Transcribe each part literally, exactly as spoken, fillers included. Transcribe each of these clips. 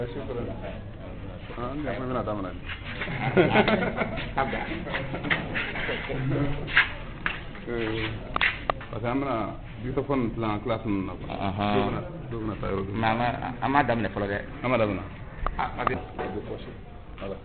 An bɛna daminɛ. Tabda. Parce que an bɛna dictaphone dilan classe ninnu na quoi. Ɔhɔn. Dɔw bɛna dɔw bɛna taa yɔrɔ dɔ. Mais an ma an m'a daminɛ fɔlɔ dɛ. An ma daminɛ. Ah, parce que Voilà.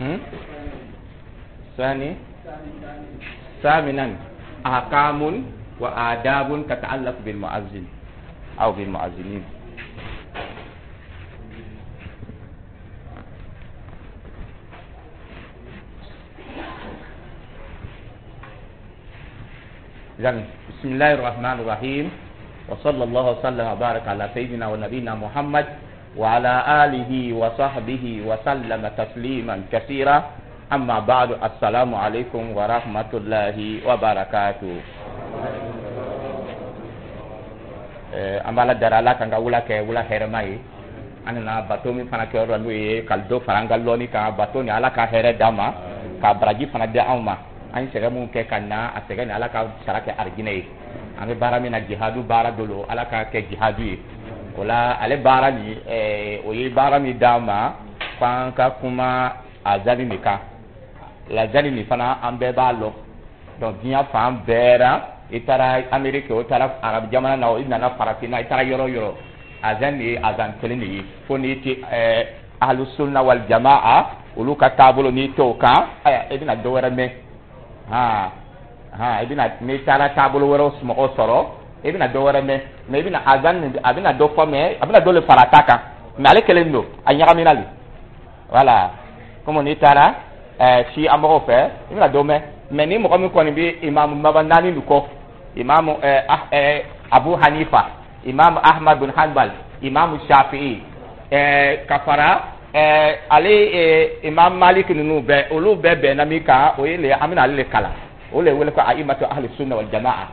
Hmm? ثاني ثامنا أحكام وآداب تتعلق بالمؤذن أو بالمؤذنين. إذن بسم الله الرحمن الرحيم، وصلى الله وسلم وبارك على سيدنا ونبينا محمد وعلى آله وصحبه وسلم تسليما كثيرا. أما بعد، السلام عليكم ورحمة الله وبركاته. An b'Ala dara, Ala kan ka wula kɛ wula hɛrɛma ye. An nana bato min fana kɛ yɔrɔ, n'o ye ka dɔ fara an ka lɔnni kan, bato ni Ala ka hɛrɛ d'an ma, ka baraji fana di anw ma. An ye sɛgɛn mun kɛ ka na, a sɛgɛn ni Ala ka sara kɛ arijinɛ ye. An bɛ baara min na, jihadu baara dɔ lo, Ala ka kɛ jihadu ye. O la, ale baara nin, o ye baara min d'an ma. F'an ka kuma azani de kan. Lazani nin fana, an bɛɛ b'a lɔn. Donc diɲɛ fan bɛɛ la, i taara Amérique, o taara Arabu jamana na, i nana Farafinna, i taara yɔrɔ o yɔrɔ, azan de ye azan kelen de ye. Fo n'i ti ɛɛ Ahlu Sunna wal Jamaa, olu ka taabolo, n'i t'o kan, ayiwa, i bɛna dɔ wɛrɛ mɛn. Han han, i bɛna, n'i taara taabolo wɛrɛw mɔgɔw sɔrɔ, i bɛna dɔ wɛrɛ mɛn. Mais i bɛna azan nin, a bɛna dɔ fɔ, mais a bɛna dɔ le fara a ta kan, mais ale kelen don, a ɲagamina le. Voilà, comme n'i taara ɛɛ si an mɔgɔw fɛ, i bɛna dɔ mɛn. Mais ni mɔgɔ min kɔni bɛ imamu maba naani nin kɔ, imamu ɛɛ ɛɛ Abu Hanifa, imamu Ahmad bin Hanbal, imamu Shafi'i, ɛɛ ka fara ɛɛ ale ɛɛ imam Malik ninnu bɛɛ, olu bɛɛ bɛnna min kan, o ye le an bɛna ale le kalan. O le wele ko aimatu Ahli Sunna wal Jamaa.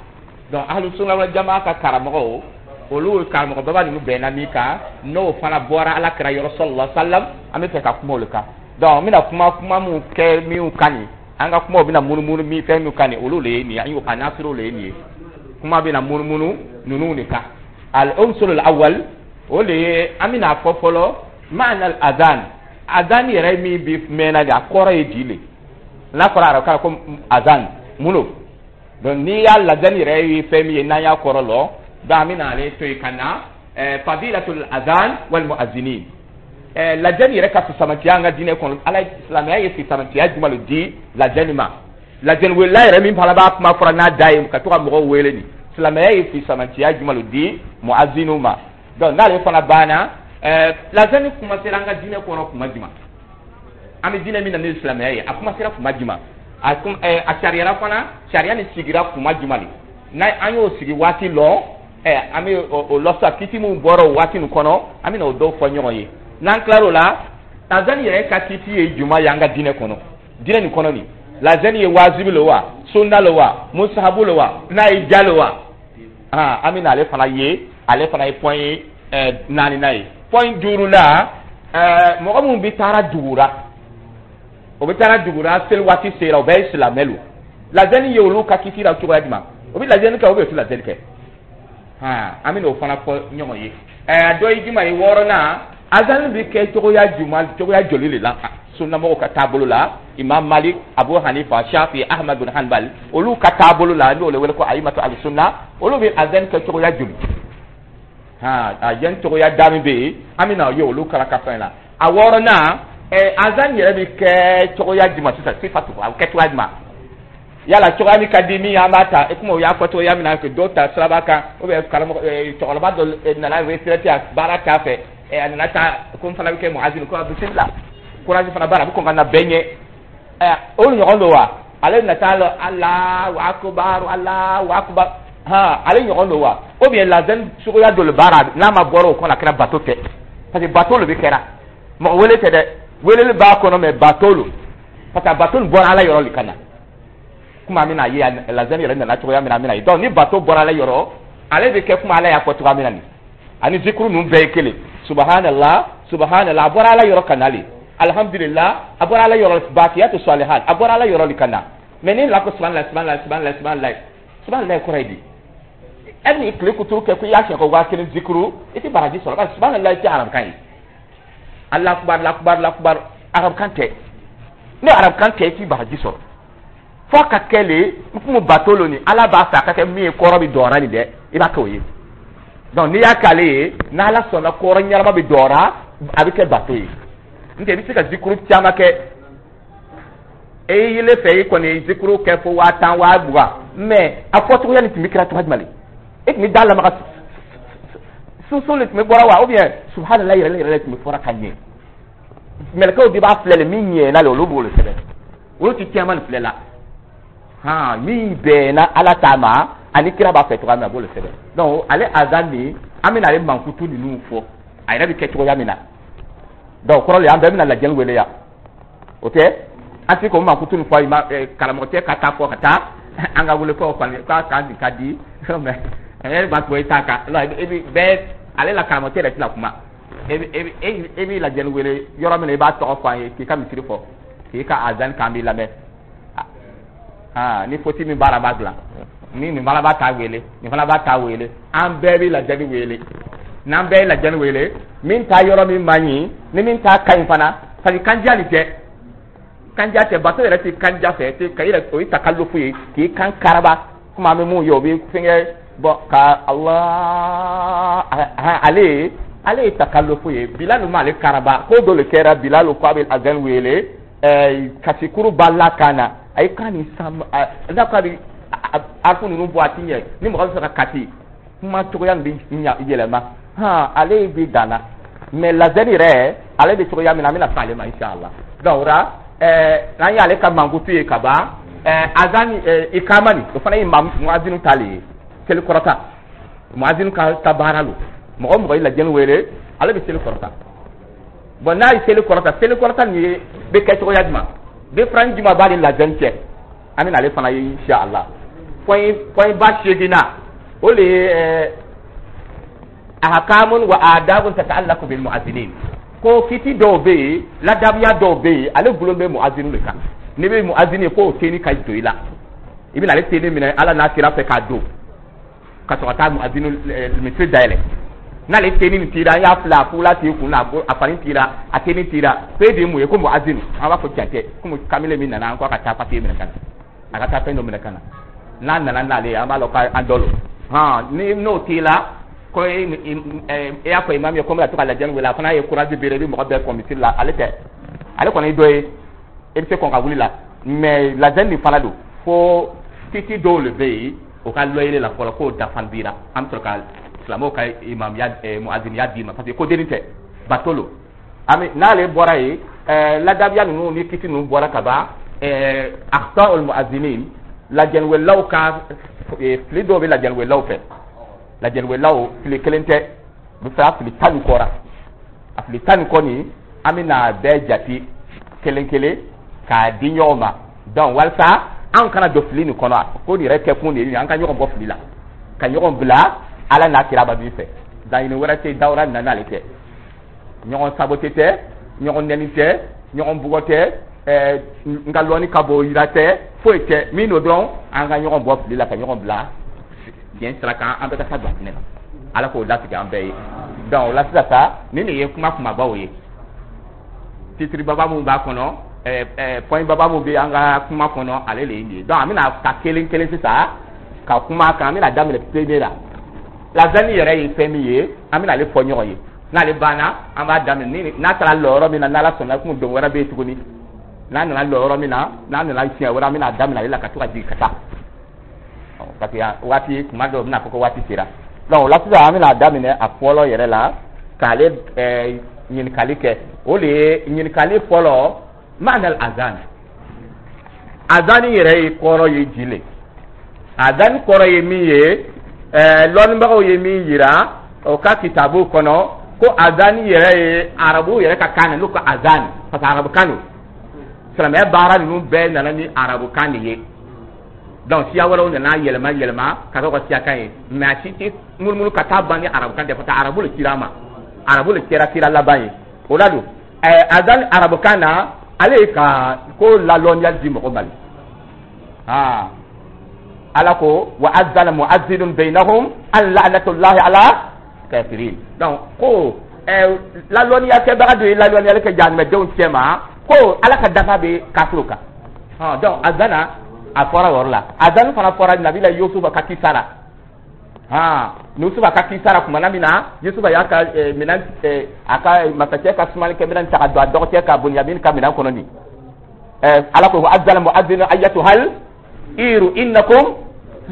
Donc Ahli Sunna wal Jamaa ka karamɔgɔw, olu karamɔgɔ baba ninnu bɛnna min kan, n'o fana bɔra Ala kira yɔrɔ sallallahu alaihi wasallam, an bɛ fɛ ka kuma o le kan. Donc n bɛna kuma kuma mun kɛ min kan nin, an ka kumaw bɛna munumunu min fɛn min kan nin, olu le ye nin ye. An y'o a nasiriw le ye nin ye. Kuma bɛna munumunu ninnu de kan. Al unsur al awwal, o de ye an bɛna fɔ fɔlɔ maana al adhan. Adhan yɛrɛ min bi mɛnna de, a kɔrɔ ye di le? N'a fɔra arabukan na ko azan, mun don? Donc n'i y'a lazani yɛrɛ ye fɛn min ye, n'an y'a kɔrɔ lɔ, donc an bɛna ale to yen ka na ɛɛ fadilatul azan wal muazzinin, ɛɛ lajɛni yɛrɛ ka fisamantiya an ka diinɛ kɔnɔ. Ala, silamɛya ye fisamantiya jumɛn de di lajɛni ma? Lajɛni welela yɛrɛ min fana b'a kuma fɔra n'a da ye ka to ka mɔgɔw wele nin, silamɛya ye fisamantiya jumɛn de di muazzinu ma? Donc n'ale fana banna, ɛɛ lajɛni kuma sera an ka diinɛ kɔnɔ kuma jumɛn? An bɛ diinɛ min na ni silamɛya ye, a kuma sera kuma jumɛn? A kun ɛɛ a sariyara fana, sariya nin sigira kuma jumɛn de? N'a an y'o sigi waati lɔ, ɛ an bɛ o lɔ sisan, kiti min bɔra o waati nin kɔnɔ, an bɛ na o dɔw fɔ ɲɔgɔn ye. N'an tilar'o la, lazani yɛrɛ ka kiti ye jumɛn ye an ka diinɛ kɔnɔ, diinɛ nin kɔnɔ nin? Lazani ye wajibi le wa, sunna le wa, musahabu le wa, n'a ye ja le wa? Ah, an bɛ na ale fana ye. Ale fana ye point ye ɛɛ naaninan ye. Point duurunan, ɛɛ mɔgɔ minnu bɛ taara dugu la, o bɛ taara dugu la, seli waati sera, o bɛɛ ye silamɛ lo, lazani ye olu ka kiti la cogoya jumɛn? O bɛ lajɛli kɛ, o bɛ o tɛ lajɛli kɛ? Han, an bɛ n'o fana fɔ ɲɔgɔn ye. Ɛɛ a dɔ ye jumɛn ye? Wɔɔrɔnan, azani bɛ kɛ cogoya jumɛn, cogoya joli de la sunnamɔgɔw ka taabolo la? Imam Malik, Abu Hanifa, Shafi, Ahmad bin Hanbal, olu ka taabolo la, n'o le wele ko ayimatu al sunna, olu bɛ azani kɛ cogoya joli? Han, azani cogoya da min bɛ yen, an bɛ na ye olu kala ka fɛn la. A wɔɔrɔnan, ɛ azani yɛrɛ bɛ kɛ cogoya jumɛn sisan? Sifatu, a bɛ kɛ cogoya jumɛn? Yala cogoya min ka di min ye, an b'a ta. E komi o y'a fɔ cogoya min na, dɔw ta siraba kan, ou bien karamɔgɔ cɛkɔrɔba dɔ nana retraite, a baara t'a fɛ, a nana taa ko n fana bɛ kɛ muazin, ko bisimila, courage fana b'a la, a bɛ kɔn ka na bɛɛ ɲɛ. Ɛ o ɲɔgɔn don wa? Ale na taa lɔ Alahu akubar, Alahu akubar, han, ale ɲɔgɔn don wa? Ou bien lazani cogoya dɔ le b'a la, n'a ma bɔra o kɔnɔ, a kɛra bato tɛ? Parce que bato le bɛ kɛra, mɔgɔ wele tɛ dɛ, weleli b'a kɔnɔ, mais bato lo, parce que bato nin bɔra Ala yɔrɔ le ka na. Komi an bɛna ye lazani yɛrɛ nana cogoya min na, an bɛna ye. Donc ni bato bɔra Ala yɔrɔ, ale bɛ kɛ komi Ala y'a fɔ cogoya min na nin, ani zikuru ninnu bɛɛ ye kelen. Subhanallah, subhanallah, a bɔra Ala yɔrɔ ka na le. Alhamdulillah, a bɔra Ala yɔrɔ. Bakiyatu salihat, a bɔra Ala yɔrɔ le ka na. Mais ni la ko subhanallah, subhanallah, subhanallah, subhanallah, subhanallah kɔrɔ ye di? E ni tile kuturu kɛ ko i y'a siɲɛ ko waa kelen zikuru, i tɛ baraji sɔrɔ, parce que subhanallah tɛ arabukan ye. Allah akubar, Allah akubar, Allah akubar, arabukan tɛ. Ni arabukan tɛ, i tɛ baraji sɔrɔ. Fo ka kɛ le n kun bato lo ni Ala b'a fɛ a ka kɛ min ye, kɔrɔ bɛ dɔra nin dɛ, i b'a kɛ o ye. Donc n'i y'a k'ale ye, n'Ala sɔnna, kɔrɔ ɲɛnama bɛ dɔra, a bɛ kɛ bato ye. N tɛ i bɛ se ka zikuru caman kɛ, e yelen fɛ, i kɔni ye zikuru kɛ fo waa tan, waa mugan, mais a fɔcogoya nin tun bɛ kɛra cogoya jumɛn? E tun bɛ da lamaga sunsun le tun bɛ bɔra wa, ou bien subhanallah yɛrɛ yɛrɛ tun bɛ fɔra ka ɲɛ? Mɛlɛkɛw de b'a filɛ le, min ɲɛna le, olu b'o le sɛbɛn. Olu ti caman nin filɛ la. Han, min bɛnna Ala ta ma ani kira b'a fɛ cogoya min na, a b'o le sɛbɛn. Donc ale azan nin, an bɛna ale mankutu ninnu fɔ, a yɛrɛ bɛ kɛ cogoya min na. Donc kɔrɔ le, an bɛɛ bɛna lajɛli wele yan, o tɛ an tɛ k'o mankutu nin fɔ. Ma karamɔgɔ tɛ ka taa fɔ ka taa an ka wele k'o kɔni k'a kan ka di, mais e b'a to i t'a kan. E bɛ bɛɛ ale la, karamɔgɔ tɛ yɛrɛ tɛna kuma. E bɛ e e b'i lajɛli wele yɔrɔ min na, i b'a tɔgɔ fɔ an ye, k'i ka misiri fɔ, k'i ka azan k'an b'i lamɛn. Aa, ni foti min b'a la, b'a dilan. Ni nin fana b'a ta wele, nin fana b'a ta wele, an bɛɛ bɛ lajɛli wele. N'an bɛɛ ye lajɛli wele, min ta yɔrɔ min man ɲi ni min ta ka ɲi fana. Parce que kandiya nin tɛ, kandiya tɛ. Bato yɛrɛ tɛ kandiya fɛ, tɛ ka yɛrɛ, o ye takalufu ye, k'i kan karaba. Komi an bɛ mun ye, o bɛ fɛnkɛ bɔn ka Allah. Ale ale ye takalufu ye. Bilal ma ale karaba ko dɔ le kɛra. Bilal ko a bɛ azan wele, ɛɛ kasikuru b'a la kan na, a ye kan nin san n'a ko a bɛ arifu ninnu bɔ, a ti ɲɛ. Ni mɔgɔ bɛ fɛ ka kasi, kuma cogoya min bɛ yɛlɛma, han, ale bɛ dan na. Mais lazɛni yɛrɛ, ale bɛ cogoya min na, an bɛna s'ale ma inshallah. Donc o la, ɛɛ n'an y'ale ka mankutu ye ka ban, ɛɛ azan, ɛɛ ikama nin, o fana ye muazinu ta le ye. Seli kɔrɔta, muazinu ka ka baara lo. Mɔgɔ o mɔgɔ ye lajɛni wele, ale bɛ seli kɔrɔta. Bon, n'a ye seli kɔrɔta, seli kɔrɔta nin ye bɛ kɛ cogoya jumɛn? Différence jumɛn b'ale lajɛni cɛ? An bɛna ale fana ye inshallah. Point point ba seegin na, o de ye ɛɛ ahkamun wa adabun tata'allaqu bil mu'azzinin, ko kiti dɔw bɛ yen, ladabiya dɔw bɛ yen, ale gulon bɛ mu'azzinu de kan. N'i bɛ mu'azzini ye, k'o tenue ka don i la, i bɛna ale tenue minɛ Ala n'a kira fɛ k'a don, ka sɔrɔ ka taa mu'azzinu misiri dayɛlɛ. N'ale tenue nin tira, an y'a filɛ, a fula t'i kun na, a fani tira, a tenue tira, ko e de ye mun ye? Ko mu'azzinu. An b'a fɔ tiɲɛ tɛ. Komi kamalen min nana, an ko a ka taa papier minɛ ka na, a ka taa fɛn dɔ minɛ ka na. N'a nana n'ale ye, an b'a dɔn k'an dɔ lo. Hɔn, ni n'o t'i la, ko e e y'a fɔ imam ye ko n bɛna to ka lajɛli wele, a fana ye courage bere, i bɛ mɔgɔ bɛɛ kɔn misiri la. Ale tɛ, ale kɔni ye dɔ ye, e bɛ se kɔn ka wuli la. Mais lajɛli nin fana don, fo kiti dɔw de bɛ yen, o ka lɔyere la fɔlɔ, k'o dafa bira, an bɛ sɔrɔ ka silamɛw ka imamuya, muaziniya d'i ma, parce que ko denni tɛ, bato lo. An bɛ n'ale bɔra yen, ɛɛ ladabiya ninnu ni kiti ninnu bɔra ka ban, ɛɛ akhta'ul muazinin, lajɛliwelelaw ka fili dɔw bɛ lajɛliwelelaw fɛ. Lajɛliwelelaw, fili kelen tɛ, u bɛ fɛ a fili tan ni kɔ ra. A fili tan ni kɔ nin, an bɛ bɛɛ jate kelen kelen k'a di ɲɔgɔn ma. Donc walasa anw kana don fili nin kɔnɔ, ko nin yɛrɛ kɛ kun de ye an ka ɲɔgɔn bɔ fili la, ka ɲɔgɔn bila Ala n'a kira ba min fɛ. Laɲini wɛrɛ tɛ dawura nin na n'ale tɛ. Ɲɔgɔn sabote tɛ, ɲɔgɔn nɛni tɛ, ɲɔgɔn bugɔ tɛ, ɛɛ n ka lɔnni ka bon yira tɛ, foyi tɛ. Min don dɔrɔn, an ka ɲɔgɔn bɔ fili la, ka ɲɔgɔn bila diɲɛ sira kan, an bɛɛ ka taa don a na. Ala k'o latigɛ an bɛɛ ye. Donc o la sisan sa, nin de ye kuma kumabaw ye, titre baba mun b'a kɔnɔ, ɛɛ ɛɛ point baba mun bɛ an ka kuma kɔnɔ, ale de ye nin ye. Donc an bɛna ta kelen kelen sisan ka kuma kan. An bɛna daminɛ premier la. Lazani yɛrɛ ye fɛn min ye, an bɛna ale fɔ ɲɔgɔn ye. N'ale banna, an b'a daminɛ ni n'a taara lɔ yɔrɔ min na. N'Ala sɔnna, komi don wɛrɛ bɛ yen tuguni, n'a nana lɔ yɔrɔ min na, n'a nana siɲɛ wɛrɛ, an bɛna daminɛ ale la ka to ka jigin ka taa, parce que waati kuma dɔw bɛna fɔ ko waati sera. Donc o la sisan, an bɛna daminɛ a fɔlɔ yɛrɛ la, k'ale ɛɛ ɲininkali kɛ. O de ye ɲininkali fɔlɔ: maana azan? Azani yɛrɛ ye kɔrɔ ye ji le? Azani kɔrɔ ye min ye, ɛɛ lɔnnibagaw ye min yira o ka kitabu kɔnɔ, ko azani yɛrɛ ye arabu yɛrɛ ka kan na, n'o ko azan, parce que arabu kan don. Silamɛya baara ninnu bɛɛ nana ni arabu kan de ye. Donc siya wɛrɛw nana yɛlɛma yɛlɛma ka kɛ ka siya kan ye, mais a si tɛ munumunu ka taa ban ni arabu kan tɛ, parce que arabu le cira a ma, arabu le kɛra kira laban ye. O la don, ɛɛ azan arabu kan na, ale ye ka ko lalɔnniya di mɔgɔ ma le. Aa, Ala ko: wa azana muazinun bainahum an la'natullahi ala kafirin. Donc ko ɛɛ lalɔnniya kɛbaga dɔ ye lalɔnniyali kɛ jahanamɛdenw cɛ ma, ko Ala ka dafa bɛ kafiriw kan. Hɔn, donc azana a fɔra o yɔrɔ la. Azani fana fɔra nabila Yusufa ka kisa la. Han, Yusufa ka kisa la, kumana min na Yusufa y'a ka minɛn, a ka masakɛ ka sumalikɛ minɛn ta ka don a dɔgɔkɛ ka Bunyamin ka minɛn kɔnɔ nin, ɛɛ Ala ko: azana mu'adhdhin ayyatuhal iru innakum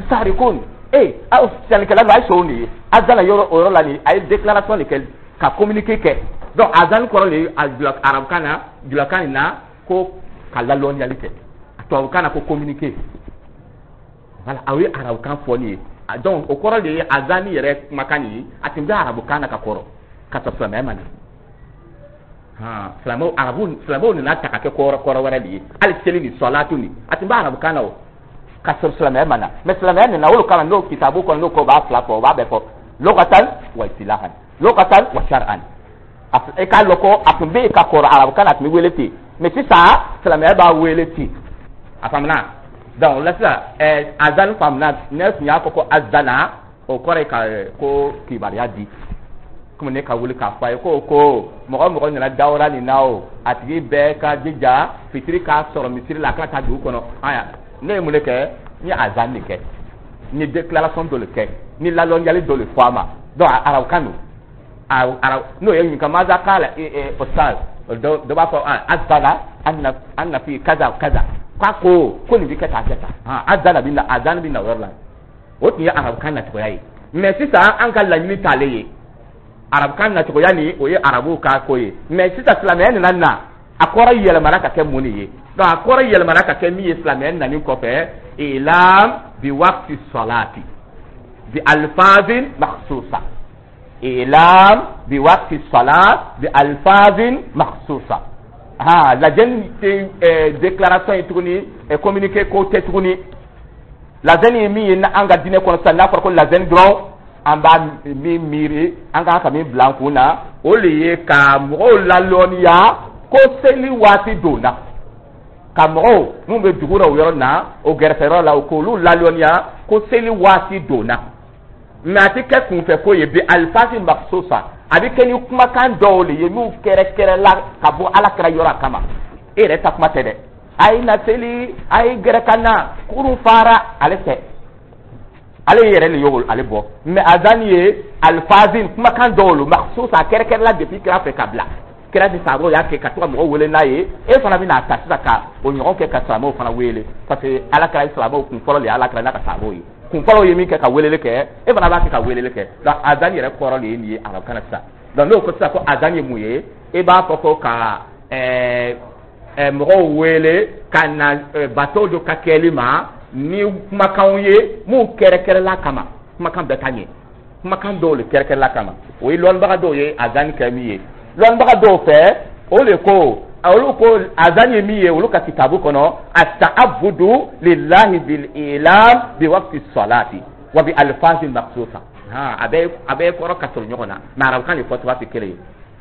sarikun. Ee, aw sannikɛla don, a ye sɔn de ye. Azana yɔrɔ, o yɔrɔ la nin, a ye déclaration de kɛ, ka communiqué kɛ. Donc azan kɔrɔ de ye a arabukan na, julakan nin na, ko ka lalɔnniyali kɛ, tubabukan na ko communiqué. Voilà, a ye arabukan fɔ nin ye. Donc o kɔrɔ de ye azani yɛrɛ kumakan nin ye. A tun bɛ arabukan na ka kɔrɔ ka sɔrɔ silamɛya ma na. Han, silamɛw, arabu silamɛw nana ta ka kɛ kɔrɔ kɔrɔ wɛrɛ de ye. Hali seli ni sɔlatu nin, a tun bɛ arabukan na o ka sɔrɔ silamɛya ma na. Mais silamɛya nana olu kama, n'o kitabu kɔnɔ, n'o ko b'a fila fɔ, o b'a bɛɛ fɔ, lugatan wa istilahan, lugatan wa shar'an. E k'a lɔn ko a tun bɛ yen ka kɔrɔ arabukan na, a tun bɛ wele ten, mais sisan silamɛya b'a wele ten. A faamuna? Donc o la sisan, ɛɛ azan faamuna. Ne tun y'a fɔ ko azana, o kɔrɔ ye ka ko kibaruya di. Komi ne ka wuli k'a fɔ a ye ko ko mɔgɔ mɔgɔ nana dawura nin na, o a tigi bɛɛ ka jija fitiri k'a sɔrɔ misiri la, a kana taa dugu kɔnɔ. Aya, ne ye mun de kɛ? N ye azan de kɛ, n ye déclaration dɔ de kɛ, ni lalɔnyali dɔ de fɔ a ma. Donc arabukan don, arab n'o ye ɲininka maza kala ustaz, dɔ b'a fɔ azana anna anna fi kaza kaza, k'a ko ko nin bɛ kɛ tan, kɛ tan, azana bɛ na, azan bɛ na o yɔrɔ la. O tun ye arabukan nacogoya ye. Mais sisan an ka laɲini t'ale ye arabukan nacogoya ni, o ye arabuw ka ko ye. Mais sisan silamɛya nana na, a kɔrɔ yɛlɛmana ka kɛ mun de ye? Donc a kɔrɔ yɛlɛmana ka kɛ min ye silamɛya nani kɔfɛ, ilam bi waqti salati bi alfazin makhsusa, ilam bi waqti salat bi alfazin makhsusa. Ha, lajɛni tɛ déclaration ye tuguni, communiqué ko tɛ tuguni. Lazɛni ye min ye an ka diinɛ kɔnɔ sisan, n'a fɔra ko lazɛni dɔrɔn, an b'a min miiri, an kan ka min bila an kun na, o de ye ka mɔgɔw lalɔnniya ko seli waati donna, ka mɔgɔw mun bɛ dugu la o yɔrɔ na, o gɛrɛfɛyɔrɔ la, o k'olu lalɔnniya ko seli waati donna. Mais a tɛ kɛ kunfɛ ko ye bi alifasi makhsusa, a bɛ kɛ ni kumakan dɔw de ye minnu kɛrɛkɛrɛla ka bɔ Ala kɛra yɔrɔ a kama. E yɛrɛ ta kuma tɛ dɛ, a ye na seli, a ye gɛrɛ ka na, kurun fara ale fɛ, ale yɛrɛ de y'o ale bɔ. Mais azan ye alifazin kumakan dɔw lo makhsusa, a kɛrɛkɛrɛla depuis kira fɛ ka bila kira ni sahabaw y'a kɛ ka to ka mɔgɔw wele n'a ye. E fana bɛna ta sisan ka o ɲɔgɔn kɛ ka silamɛw fana wele, parce que Ala kɛra silamɛw kun fɔlɔ de ye, Ala kɛra n'a ka sahabaw ye kun fɔlɔ ye min kɛ ka weleli kɛ, e fana b'a kɛ ka weleli kɛ. Donc azan yɛrɛ kɔrɔ de ye nin ye arabukan na sisan. Donc n'o ko sisan ko azan ye mun ye, e b'a fɔ ko ka ɛɛ ɛɛ mɔgɔw wele ka na bato dɔ ka kɛli ma ni kumakanw ye mun kɛrɛkɛrɛla kama. Kumakan bɛɛ ka ɲɛ, kumakan dɔw de kɛrɛkɛrɛla kama. O ye lɔnnibaga dɔw ye azan kɛ min ye. Lɔnnibaga dɔw fɛ, o de ko, olu ko azan ye min ye olu ka kitabu kɔnɔ, at-ta'abbudu lillahi bil ilam bi waqti salati wa bi alfazin makhsusa. Ha, a bɛ a bɛ kɔrɔ ka sɔrɔ ɲɔgɔn na, mais arabukan de fɔ cogoya tɛ kelen ye.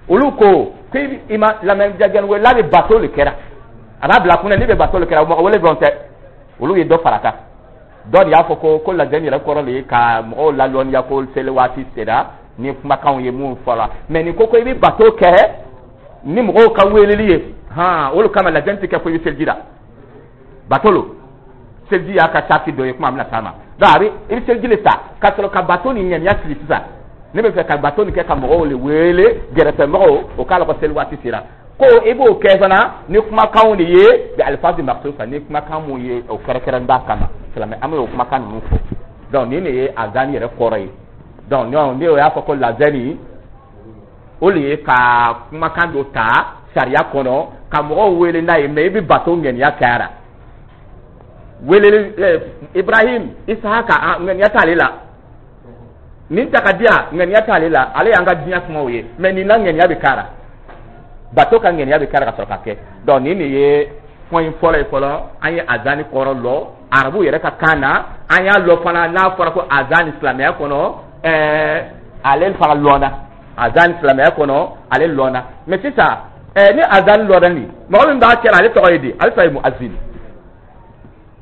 Olu ko ko i ma lamɛnjagɛn wele bɛ bato de kɛra, a b'a bila kunna n'i bɛ bato de kɛra, mɔgɔ wele dɔrɔn tɛ. Olu ye dɔ fara kan, dɔ de y'a fɔ ko ko lajɛni yɛrɛ kɔrɔ de ye ka mɔgɔw lalɔnniya ko seli waati sera ni kumakanw ye mun fɔra. Mais nin ko ko i bɛ bato kɛ ni mɔgɔw ka weleli ye, han, olu kama lajɛni tɛ kɛ fo i bɛ seliji la. Bato lo, seliji y'a ka sarati dɔ ye, kuma bɛna s'a ma. Donc a bɛ i bɛ seliji de ta ka sɔrɔ ka bato ni ŋaniya siri. Sisan ne bɛ fɛ ka bato nin kɛ ka mɔgɔw le wele, gɛrɛfɛmɔgɔw, o k'a la ko seli waati sera. Ko i b'o kɛ fana ni kumakanw de ye bi alifazi makhsusa, ni kumakan mun ye o kɛrɛnkɛrɛn b'a kama. Silamɛ an bɛ o kumakan ninnu fɔ. Donc nin de ye azan yɛrɛ kɔrɔ ye. Donc ne o y'a fɔ ko lazɛni o de ye ka kumakan dɔ ta sariya kɔnɔ ka mɔgɔw wele n'a ye, mais i bɛ bato ŋaniya kɛra weleli. Ibrahim, Isahaka, ŋaniya t'ale la. Nin ta ka di yan, ŋaniya t'ale la, ale y'an ka diɲɛ kumaw ye. Mais nin na ŋaniya bɛ k'a la, bato ka ŋaniya bɛ k'a la ka sɔrɔ ka kɛ. Donc nin de ye point fɔlɔ ye. Fɔlɔ, an ye azani kɔrɔ lɔ arabu yɛrɛ ka kan na, an y'a lɔ fana n'a fɔra ko azani silamɛya kɔnɔ, ɛɛ ale fana lɔnna azani silamɛya kɔnɔ, ale lɔnna. Mais sisan ɛɛ ni azani lɔnna, nin mɔgɔ min b'a kɛra, ale tɔgɔ ye di? Ale tɔgɔ ye muazin.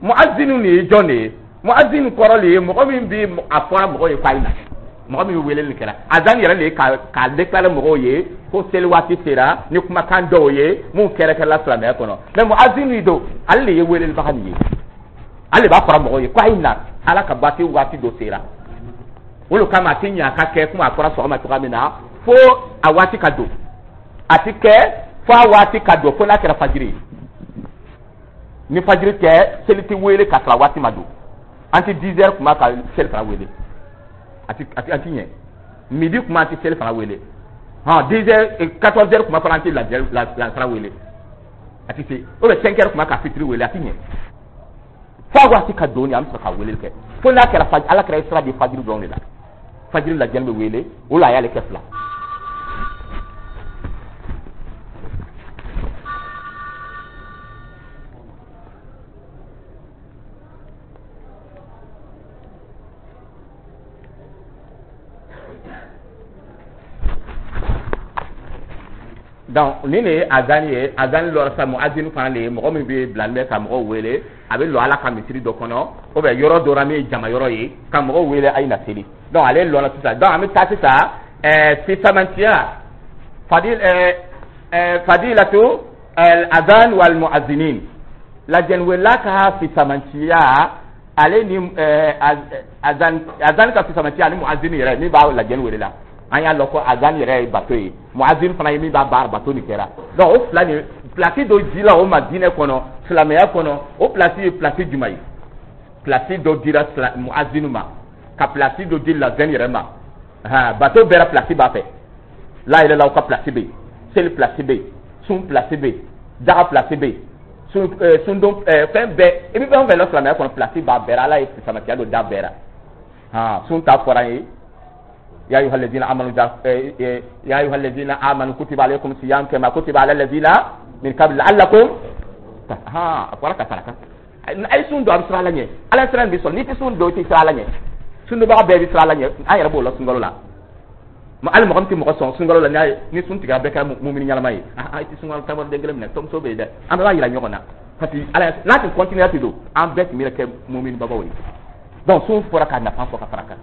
Muazin nin ye jɔn de ye? Muazin kɔrɔ de ye mɔgɔ min bi a fɔra mɔgɔw ye k'a ye na, mɔgɔ min bɛ weleli kɛra. Azan yɛrɛ de ye ka k'a déclarer mɔgɔw ye ko seli waati sera ni kumakan dɔw ye mun kɛrɛkɛrɛla silamɛya kɔnɔ. Mais muazin nin don, ale de ye welelibaga nin ye, ale de b'a fɔra mɔgɔw ye ko a ye na, Ala ka baati waati dɔ sera. O de kama a tɛ ɲɛ a ka kɛ komi a fɔra sɔgɔma cogoya min na fo a waati ka don. A tɛ kɛ fo a waati ka don, fo n'a kɛra fajiri ye. Ni fajiri tɛ, seli tɛ wele ka sɔrɔ a waati ma don. An tɛ dix heures kuma ka seli fana wele, a ti a ti a ti ɲɛ. Midi kuma, an tɛ seli fana wele. Hɔn, dix heures, quatorze heures kuma fana, an tɛ lansara wele, a ti se. Ou bien cinq heures kuma ka fitiri wele, a ti ɲɛ. Fo a waati ka don, an bɛ sɔrɔ ka weleli kɛ, fo n'a kɛra fajiri. Ala kɛra sira di fajiri dɔrɔn de la, fajiri lajɛli bɛ wele, o la a y'ale kɛ fila. Donc nin de ye azani ye. Azani lɔra sa, muazini fana de ye mɔgɔ min bɛ bilalen bɛ ka mɔgɔw wele. A bɛ lɔ Ala ka misiri dɔ kɔnɔ ou bien yɔrɔ dɔ la min ye jama yɔrɔ ye, ka mɔgɔw wele a ye na seli. Donc ale lɔra sisan. Donc an bɛ taa sisan Ɛɛ fisamantiya, fadil ɛɛ ɛɛ fadilatu al-adhan wal mu'adhdhinin, lajɛniwela ka fisamantiya, ale ni ɛɛ azan azan ka fisamantiya ani mu'adhdhin yɛrɛ min b'a lajɛni wele la. An y'a lɔn ko azan yɛrɛ ye bato ye, mu'adhdhin fana ye min b'a baara bato nin kɛra. Donc o fila nin, place dɔ dila o ma diinɛ kɔnɔ, silamɛya kɔnɔ. O place ye place jumɛn ye? Place dɔ dira mu'adhdhin ma, ka place dɔ di lazɛn yɛrɛ ma. Ha, bato bɛɛ la place b'a fɛ. La yɛrɛ la, ka place bɛ yen, seli place bɛ yen, sun place bɛ yen, daga place bɛ yen, sun sundon, fɛn bɛɛ. I bɛ fɛn o fɛn la silamɛya kɔnɔ, place b'a bɛɛ la. Ala ye fisamatiya dɔ d'a bɛɛ la. Ha, sun ta fɔra an ye: يا أيها الذين آمنوا يا أيها الذين آمنوا كتب عليكم الصيام كما كتب على الذين من قبل لعلكم. Ha, a fɔra ka fara kan. A ye sun don, a bɛ siran Ala ɲɛ. Ala siran bɛ sɔrɔ. N'i tɛ sun don, i tɛ siran Ala ɲɛ. Sundonbaga bɛɛ bɛ siran Ala ɲɛ. An yɛrɛ b'o la sunkalo la. Hali mɔgɔ min tɛ mɔgɔ sɔn, sunkalo la, n'a ye ni sun tigɛra, bɛɛ kɛra mumini ɲɛnama ye. Ah, i tɛ sunkalo taabolo den kelen minɛ, tɔmuso bɛ yen dɛ. An bɛɛ b'a yira ɲɔgɔn na, parce que Ala n'a tun continuer ten don, an bɛɛ tun bɛ kɛ mumini babaw ye. Donc sun fɔra k'a nafa fɔ ka fara kan.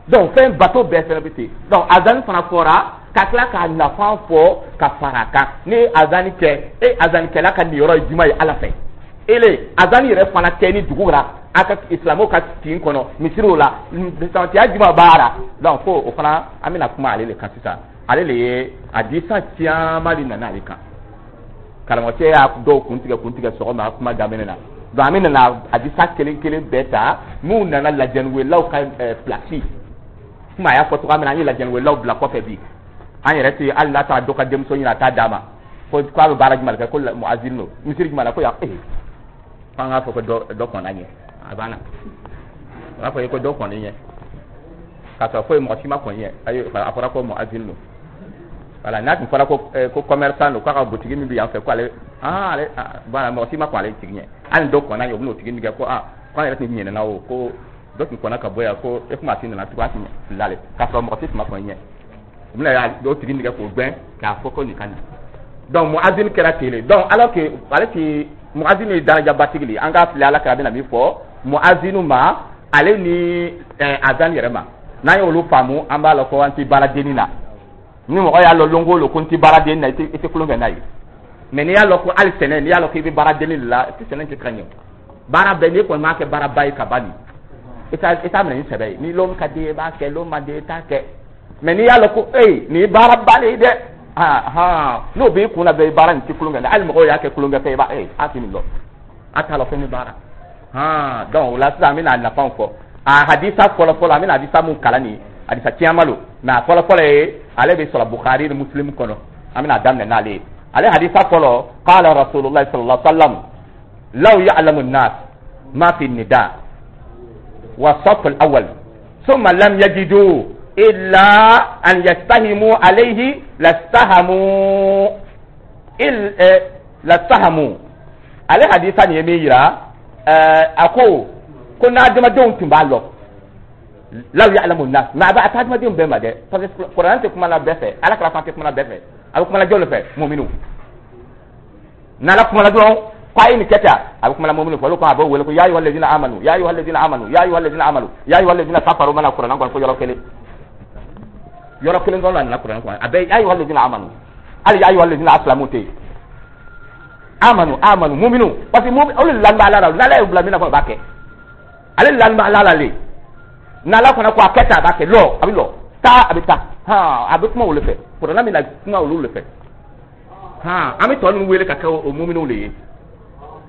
Donc fɛn bato bɛɛ fɛnɛ bɛ ten. Donc azani fana fɔra ka tila k'a nafa fɔ ka fara kan. Ni azani kɛ, e azanikɛla ka niyɔrɔ ye jumɛn ye Ala fɛ? Ele azani yɛrɛ fana kɛ ni dugu la, a ka silamɛw ka kin kɔnɔ, misiriw la, fisamantiya jumɛn b'a la? Donc fo o fana, an bɛna kuma ale de kan sisan. Ale de ye hadisa caman de nana ale kan. Karamɔgɔcɛ y'a dɔw kun tigɛ kun tigɛ sɔgɔma kuma daminɛ na. Donc an bɛ nana hadisa kelen kelen bɛɛ ta minnu nana lajɛniwelaw ka place. Kuma a y'a fɔ cogoya min na, an ye lajɛniwelaw bila kɔfɛ bi. An yɛrɛ tɛ hali n'a taara dɔ ka denmuso ɲini a t'a d'a ma ko k'a bɛ baara jumɛn kɛ, ko muazin don misiri jumɛn na, ko yan. Ee, f'an k'a fɔ ko dɔ dɔ kɔnna ɲɛ, a banna. O b'a fɔ ko dɔ kɔnni ɲɛ, k'a sɔrɔ foyi mɔgɔ si ma kɔn ɲɛ. Ayi, a fɔra ko muazin don. Voilà, n'a tun fɔra ko ko commerçant don, k'a ka boutique min bɛ yan fɛ, ko ale, ah, ale voilà, mɔgɔ si ma kɔn ale tigi ɲɛ. Hali ni dɔ kɔnna ɲɛ, o bɛn'o tigi min kɛ ko ah, k'an yɛrɛ tun ɲinɛna o ko dɔ tun kɔnna ka bɔ yan, ko e kuma a ti nana tugun, a tun filila ale, k'a sɔrɔ mɔgɔ si tun ma kɔn ɲɛ. U bɛna o tigi nɛgɛ k'o gɛn k'a fɔ ko nin ka nin. Donc muazin kɛra ten de. Donc alors que ale ti muazin ye darajabatigi de ye, an k'a filɛ Ala kira bɛna min fɔ muazinu ma, ale ni azan yɛrɛ ma. N'an y'olu faamu, an b'a lɔn ko an ti baaradenni na. Ni mɔgɔ y'a lɔn lon o lon ko n ti baaradenni na, i tɛ i tɛ tulon kɛ n'a ye. Mais n'i y'a lɔn ko hali sɛnɛ, n'i y'a lɔn k'i bɛ baaradenni de la, i tɛ sɛnɛ kɛ ka ɲɛ. Baara bɛɛ, n'i kɔni m'a kɛ baaraba ye ka ban nin, i t'a i t'a minɛ ni sɛbɛ ye. Ni lon ka di ye, i b'a kɛ, lon man di ye, i t'a kɛ. Mais n'i y'a lɔn ko ee, nin ye baaraba de ye dɛ, ah han, n'o b'i kun na bɛɛ, baara nin tɛ tulon kɛ. Hali mɔgɔw y'a kɛ tulonkɛ fɛn, i b'a ee, a tɛ nin lɔn, a t'a lɔn fɛn min baara. Han, donc o la sisan, an bɛna nafaw fɔ. A hadisa fɔlɔ fɔlɔ, an bɛna hadisa mun kalan nin, hadisa caman don, mais a fɔlɔ fɔlɔ ye, ale bɛ sɔrɔ Bukhari ni Muslim kɔnɔ. An bɛna daminɛ n'ale ye. Ale hadisa fɔlɔ: qala Rasulullah sallallahu alaihi wa sallam: law ya'lamu an-nas ma fi an-nida wa saf al-awwal thumma lam yajidu illa an yastahimu alayhi lastahamu il lastahamu. Ale hadisa nin ye min yira, a ko ko n'adamadenw tun b'a lɔn, law ya'lamu an-nas. Mais a bɛ a tɛ adamadenw bɛɛ ma dɛ, parce que Kuranɛ tɛ kuma la bɛɛ fɛ, Ala kɛra fan tɛ kuma la bɛɛ fɛ. A bɛ kuma la jɔn de fɛ? Muminu. N'Ala kuma la dɔrɔn ko a ye nin kɛ tan, a bɛ kuma la muminu fɛ. Olu ko a b'o wele ko ya ayyuhal ladina amanu, ya ayyuhal ladina amanu, ya ayyuhal ladina amanu, ya ayyuhal ladina kafaru. Mana Kuranɛ kɔnɔ fo yɔrɔ kelen, yɔrɔ kelen dɔrɔn la nana Kuranɛ kɔnɔ, a bɛɛ ya ayyuhal ladina amanu. Hali ya ayyuhal ladina aslamu tɛ yen. Amanu, amanu, muminu, parce que mumin olu lani bɛ Ala la. N'Ala y'u bila min na kɔnɔ, u b'a kɛ. Ale lani bɛ Ala la le. N'Ala fana ko a kɛ tan, a b'a kɛ. Lɔ, a bɛ lɔ. Taa, a bɛ taa. Han, a bɛ kuma olu fɛ. Kuranɛ bɛna kuma olu de fɛ. Han, an bɛ tɔ ninnu wele ka kɛ o muminuw de ye.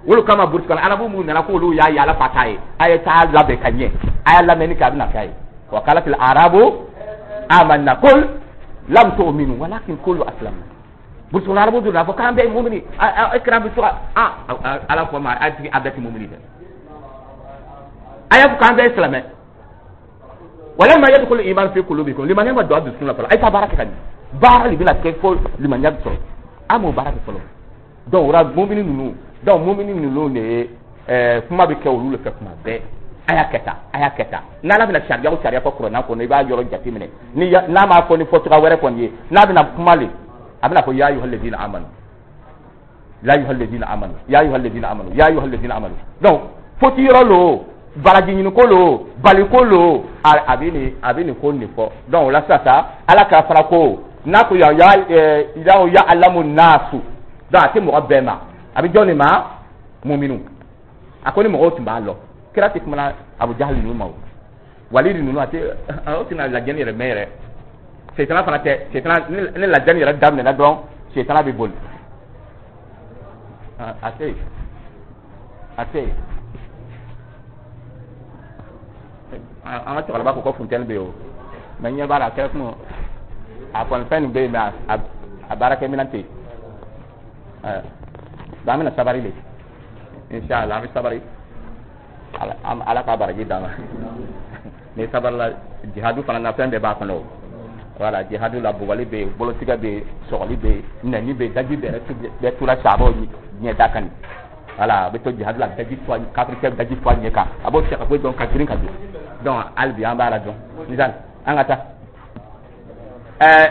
Olu kama, burusi kɔnɔ arabu minnu nana k'olu y'a ye Ala fa t'a ye, a ye taa labɛn ka ɲɛ, a y'a lamɛnni kɛ, a bɛna k'a ye: wa qalatil arabu amanna qul lam tu'minu walakin qulu aslamna. Burusi kɔnɔ arabu donna a fɔ k'an bɛɛ ye mumini, e kira bɛ to ka ah, Ala ko ma a tigi a bɛɛ tɛ mumini dɛ, a y'a fɔ k'an bɛɛ ye silamɛ. Walamma yadkhulu iman fi qulubikum, limaniya ma don a dusukun na fɔlɔ. A ye taa baara kɛ ka ɲɛ. Baara de bɛna kɛ fo limaniya bɛ sɔrɔ. An m'o baara kɛ fɔlɔ. Donc o la, mumini ninnu, donc mumini ninnu de ye ɛɛ kuma bɛ kɛ olu de fɛ kuma bɛɛ: a y'a kɛ tan, a y'a kɛ tan. N'Ala bɛna sariya o sariya fɔ Kuranɛ kɔnɔ, i b'a yɔrɔ jateminɛ. Ni n'a m'a fɔ ni fɔcogoya wɛrɛ kɔni ye, n'a bɛna kuma le, a bɛna fɔ ya ayyuhal ladina amanu, ya ayyuhal ladina amanu, ya ayyuhal ladina amanu, ya ayyuhal ladina amanu. Donc foti yɔrɔ lo. Baraji ɲiniko lo, baliko lo, a bɛ nin a bɛ nin ko nin fɔ. Donc o la sisan sa, Ala k'a fara ko n'a ko ya ya ya alamu naasu. Donc a tɛ mɔgɔ bɛɛ ma, a bɛ jɔn de ma? Muminu. A ko ni mɔgɔw tun b'a lɔn, kira tɛ kumana Abu Jahali ninnu ma, o Walidi ninnu, a tɛ o tɛna lajɛni yɛrɛ mɛn yɛrɛ. Setana fana tɛ setana. Ni lajɛni yɛrɛ daminɛna dɔrɔn, setana bɛ boli. A tɛ yen, a tɛ yen. An ka cɛkɔrɔba ko ko funteni bɛ yen o, mɛ ɲɛ b'a la, a kɛra kun a kɔni fɛn nin bɛ yen, mɛ a a baarakɛminɛn tɛ yen. Donc an bɛna sabari de, inshallah, an bɛ sabari. Ala ka baraji d'an ma. Ni sabarila jihadu fana na, fɛn bɛɛ b'a kɔnɔ o. Voilà, jihadu la, bugɔli bɛ yen, bolotigɛ bɛ yen, sɔgɔli bɛ yen, nɛni bɛ yen, daji bɛ bɛɛ tura sabaw ɲɛda kan. Voilà, a bɛ to jihadu la, daji to, kafirikɛ daji to a ɲɛ kan, a b'o cɛ ka bɔ yen ka girin ka don. Donc hali bi an b'a la dɔn misali, an ka taa. Ɛɛ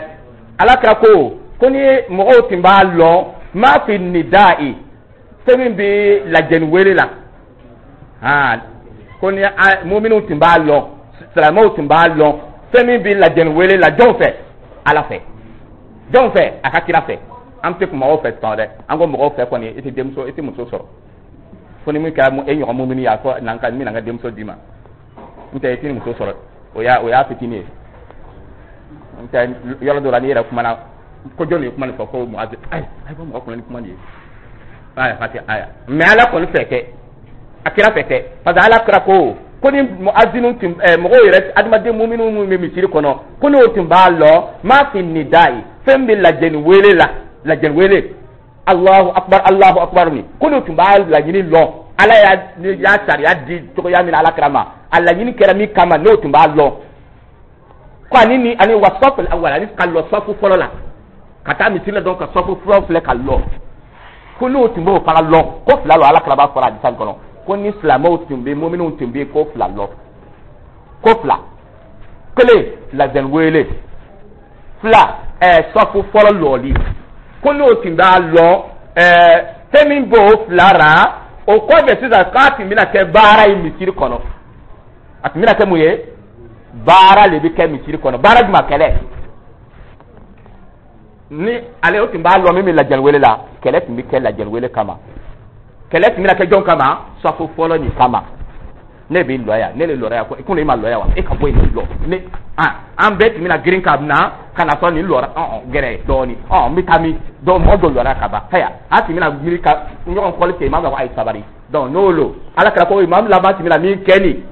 ala kira ko ko ni mɔgɔw tun b'a lɔn ma fi nida'i, fɛn min bɛ lajɛni wele la, han, ko ni muminiw tun b'a lɔn, silamɛw tun b'a lɔn fɛn min bɛ lajɛni wele la, jɔn fɛ? Ala fɛ. Jɔn fɛ? A ka kira fɛ. An tɛ mɔgɔw fɛ tɔn dɛ. An ko mɔgɔw fɛ kɔni, i tɛ denmuso, i tɛ muso sɔrɔ fo ni min kɛra e ɲɔgɔn mumini ye. A fɔ n'an ka n bɛna n ka denmuso d'i ma, n tɛ i tɛ muso sɔrɔ. O y'a o y'a fitinin ye. N tɛ yɔrɔ dɔ la, n'i yɛrɛ kumana ko jɔn de ye kuma nin fɔ, ko muazi, ayi ayi, bɔ mɔgɔ kunna ni kuma nin ye. Ayi, parce que ayi, mɛ Ala kɔni fɛ kɛ, a kira fɛ kɛ, parce que Ala kira ko ko ni muazinu tun ɛɛ mɔgɔw yɛrɛ, adamaden muminu minnu bɛ misiri kɔnɔ, ko n'o tun b'a lɔn ma fi nidayi, fɛn bɛ lajɛni wele la, lajɛni wele Alahu akbar, Alahu akbar ni, ko n'o tun b'a laɲini lɔn, Ala y'a y'a sariya di cogoya min na Ala kira ma, a laɲini kɛra min kama, n'o tun b'a lɔn ko ani ni ani wa sɔfu awal, ani ka lɔ sɔfu fɔlɔ la, ka taa misiri la dɔrɔn ka sɔfu fɔlɔ filɛ ka lɔ, ko n'o tun b'o fana lɔn, ko fila lɔ. Ala kira b'a fɔra hadisa kɔnɔ ko ni silamɛw tun bɛ, muminiw tun bɛ ko fila lɔ, ko fila: kelen, lajɛni wele; fila, ɛɛ sɔfu fɔlɔ lɔli. Ko n'o tun b'a lɔn ɛɛ fɛn min b'o fila ra, o kɔfɛ sisan k'a tun bɛna kɛ baara ye misiri kɔnɔ. A tun bɛna kɛ mun ye? Baara de bɛ kɛ misiri kɔnɔ. Baara jumɛn? Kɛlɛ. Ni ale o tun b'a lɔn min bɛ lajɛli wele la, kɛlɛ tun bɛ kɛ lajɛli wele kama. Kɛlɛ tun bɛna kɛ jɔn kama? Sɔfu fɔlɔ nin kama. Ne bɛ lɔ yan, ne de lɔra yan ko ko ne ma lɔ yan wa? E ka bɔ yen, ne lɔ ne. An an bɛɛ tun bɛna girin ka na ka na sɔrɔ nin lɔra ɔn gɛrɛ dɔɔni ɔn n bɛ taa min dɔw mɔgɔ dɔ lɔra ka ban. Haya, a tun bɛna miiri ka ɲɔgɔn kɔli kɛ, imam b'a fɔ a ye sabari. Donc n'o lo, Ala kɛra ko imam laban tun bɛna min kɛ nin,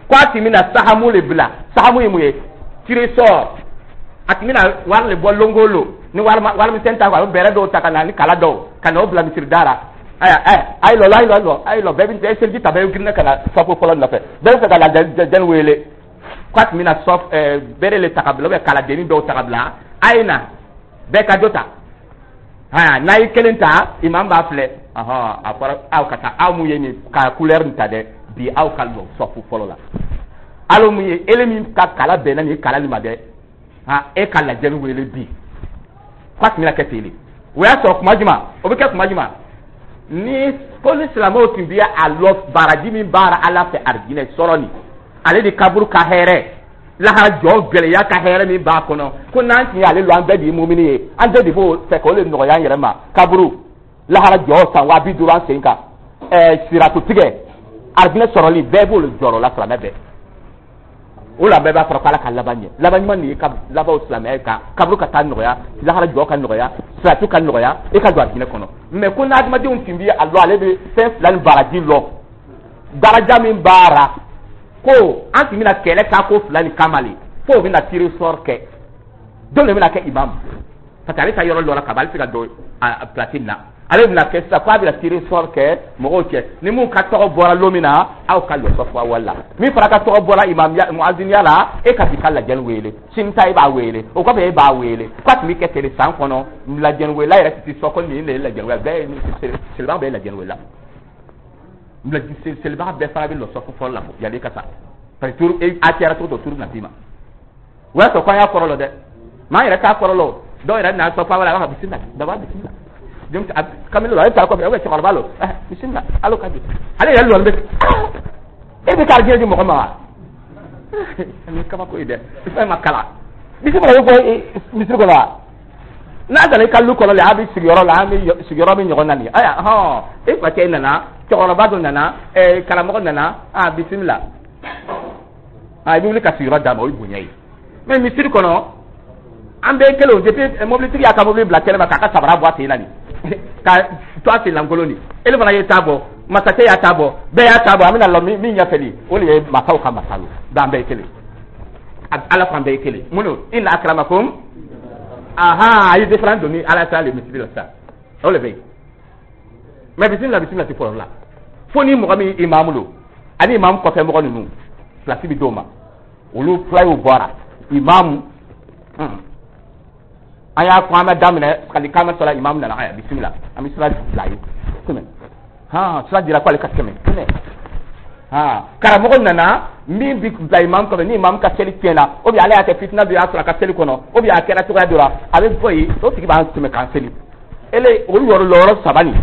ko a tun bɛna sahamu le bila. Sahamu ye mun ye? Trésor. A tun bɛna wari le bɔ longo lo, ni wari warimisɛn ta, a bɛ bɛrɛ dɔw ta ka na ni kala dɔw ka na o bila misiri da la. Aya aya, ayi lɔ, ayi lɔ, ayi lɔ, bɛɛ bɛ seliji ta, bɛɛ bɛ girinna ka na sɔfu fɔlɔ nɔfɛ, bɛɛ bɛ fɛ ka lajɛli wele. K'a tun bɛna sɔf ɛɛ bɛrɛ le ta ka bila, ou bien kaladenni dɔw ta ka bila, a ye na, bɛɛ ka dɔ ta. Haya, n'a ye kelen ta, imam b'a filɛ, ɔhɔn, a fɔra aw ka taa, aw mun ye nin ka couleur nin ta dɛ, bi aw ka lɔ sɔfu fɔlɔ la. Alo mun ye ele min ka kala bɛnna nin kala nin ma dɛ, han, e ka lajɛli wele bi. K'a tun bɛna kɛ ten de. O y'a sɔrɔ kuma jumɛn o bɛ kɛ? Kuma jumɛn ni ko ni silamɛw tun bɛ a lɔ baraji min baara Ala fɛ, arijinɛ sɔrɔ nin, ale de kaburu ka hɛrɛ, lahara jɔ gɛlɛya ka hɛrɛ min b'a kɔnɔ, ko n'an tun y'ale lɔ, an bɛɛ de ye mumini ye, an bɛɛ de b'o fɛ k'o de nɔgɔya an yɛrɛ ma. Kaburu lahara jɔ san waa bi duuru an sen kan, ɛɛ siratu tigɛ, arijinɛ sɔrɔli, bɛɛ b'o jɔrɔ la, silamɛ bɛɛ. O la bɛɛ b'a fɔra ko Ala ka laban ɲɛ, laban ɲuman nin ye ka laban silamɛya kan, kaburu ka taa nɔgɔya, lahara jɔ ka nɔgɔya, siratu ka nɔgɔya, e ka don arijinɛ kɔnɔ. Mɛ ko n'adamadenw tun bɛ a lɔ, ale bɛ fɛn fila ni baraji lɔ, daraja min b'a ko an tun bɛna kɛlɛ k'a ko fila ni kama le, fo o bɛna tirage au sort kɛ, don de bɛna kɛ imam, parce que ale ka yɔrɔ lɔra ka ban, ale tɛ se ka don a place na. Ale bɛna kɛ sisan k'a bɛna tirage au sort kɛ mɔgɔw cɛ, ni mun ka tɔgɔ bɔra lon min na, aw ka lɔ sɔfɔ awali la. Min fana ka tɔgɔ bɔra imamiya muaziniya la, e ka bi ka lajɛli wele, sini ta e b'a wele, o kɔfɛ e b'a wele. K'a tun bɛ kɛ ten de san kɔnɔ. Lajɛli welela yɛrɛ tɛ sɔn ko nin de ye lajɛli welela bɛɛ ye, selibaga bɛɛ ye lajɛli welela, selibaga bɛɛ fana bɛ lɔ sɔfɔ fɔlɔ la yanni ka sa, parce que turu a cayara cogo dɔ, turu bɛna d'i ma. O y'a sɔrɔ ko an y'a kɔrɔ lɔ dɛ, maa yɛrɛ t'a kɔrɔ lɔ. Dɔw yɛrɛ n'a sɔfɔ awali, a b'a fɔ bisimila baba, bisimila kamalen lɔ, ale taara kɔfɛ, ou bien cɛkɔrɔba lɔ, eh bisimila, alo ka di ale yɛrɛ lɔlen bɛ. E bɛ ka arijinɛ di mɔgɔ ma wa? Nin ye kabako ye dɛ. Fɛn ma kalan, bisimila bɛ fɔ misiri kɔnɔ wa? N'a nana i ka lu kɔnɔ la, a bɛ sigiyɔrɔ la, an bɛ sigiyɔrɔ min ɲɔgɔn na nin ye. Ayiwa, hɔn, e facɛ nana, cɛkɔrɔba dɔ nana, ɛɛ karamɔgɔ nana, a bisimila, a i bɛ wuli ka sigiyɔrɔ d'a ma, o ye bonya ye. Mais misiri kɔnɔ, an bɛɛ kelen o. Depuis mobilitigi y'a ka mobili bila kɛnɛ ma k'a ka sabara bɔ a sen na nin, ka to a sen lankolon nin, ele fana ye ta bɔ, masakɛ y'a ta bɔ, bɛɛ y'a ta bɔ. An bɛna lɔ min ɲɛfɛ nin, o de ye masaw ka masa ye. Donc an bɛɛ ye kelen. Ala ko an bɛɛ ye kelen. Mun don? Inna akramakum. Aha, a ye différence don ni Ala ta le misiri la sisan, o de bɛ yen. Mais bisimila, bisimila tɛ fɔlɔ la fo ni mɔgɔ min imamu don ani imamu kɔfɛ mɔgɔ ninnu, place bɛ d'o ma. Olu fila y'o bɔra imamu. An y'a fɔ, an bɛ daminɛ kali k'an bɛ sɔrɔ imamu nana, aya bisimila, an bɛ sira bila ye tɛmɛ. Han, sira dira k'ale ka tɛmɛ tɛmɛ. Han, karamɔgɔ nana, min bi bila imamu kɔfɛ, ni imamu ka seli tiɲɛna, ou bien ale y'a kɛ fitina dɔ y'a sɔrɔ a ka seli kɔnɔ, ou bien a kɛra cogoya dɔ la, a bɛ bɔ yen, o tigi b'an tɛmɛ k'an seli. Ele olu yɔrɔ lɔyɔrɔ saba nin,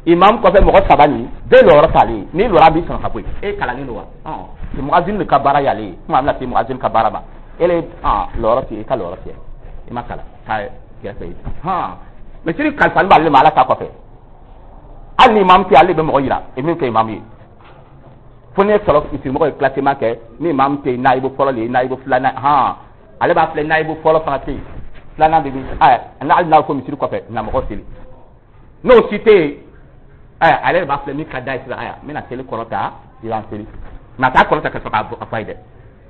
imamu kɔfɛ mɔgɔ saba nin bɛɛ lɔyɔrɔ t'ale ye. N'i lɔra, a b'i sɔrɔ ka bɔ yen. E kalannen don wa? Ɔn, muazin de ka baara y'ale ye. Kuma an bɛna se muazin ka baara ma. Ele lɔyɔrɔ tɛ, i ka lɔyɔrɔ tigɛ, i ma kalan, taa kɛrɛfɛ ye. Hɔn, misiri kalifalen b'ale ma Ala ta kɔfɛ. Hali ni imamu tɛ, ale bɛ mɔgɔ yira i min kɛ imamu ye. Fo ne sɔrɔ misirimɔgɔ ye classement kɛ, ni imamu tɛ yen, nayibu fɔlɔ le ye, nayibu filanan. Hɔn, ale b'a filɛ, nayibu fɔlɔ fana tɛ yen, filanan bɛ min? Ɛ, hali n'a ko misiri kɔfɛ na mɔgɔ seli, n'o si tɛ yen, ɛ, ale de b'a filɛ min ka d'a ye sisan. Ayiwa, n bɛna seli kɔrɔta, i b'an seli. Mɛ a t'a kɔrɔta ka sɔrɔ k'a fɔ a ye dɛ,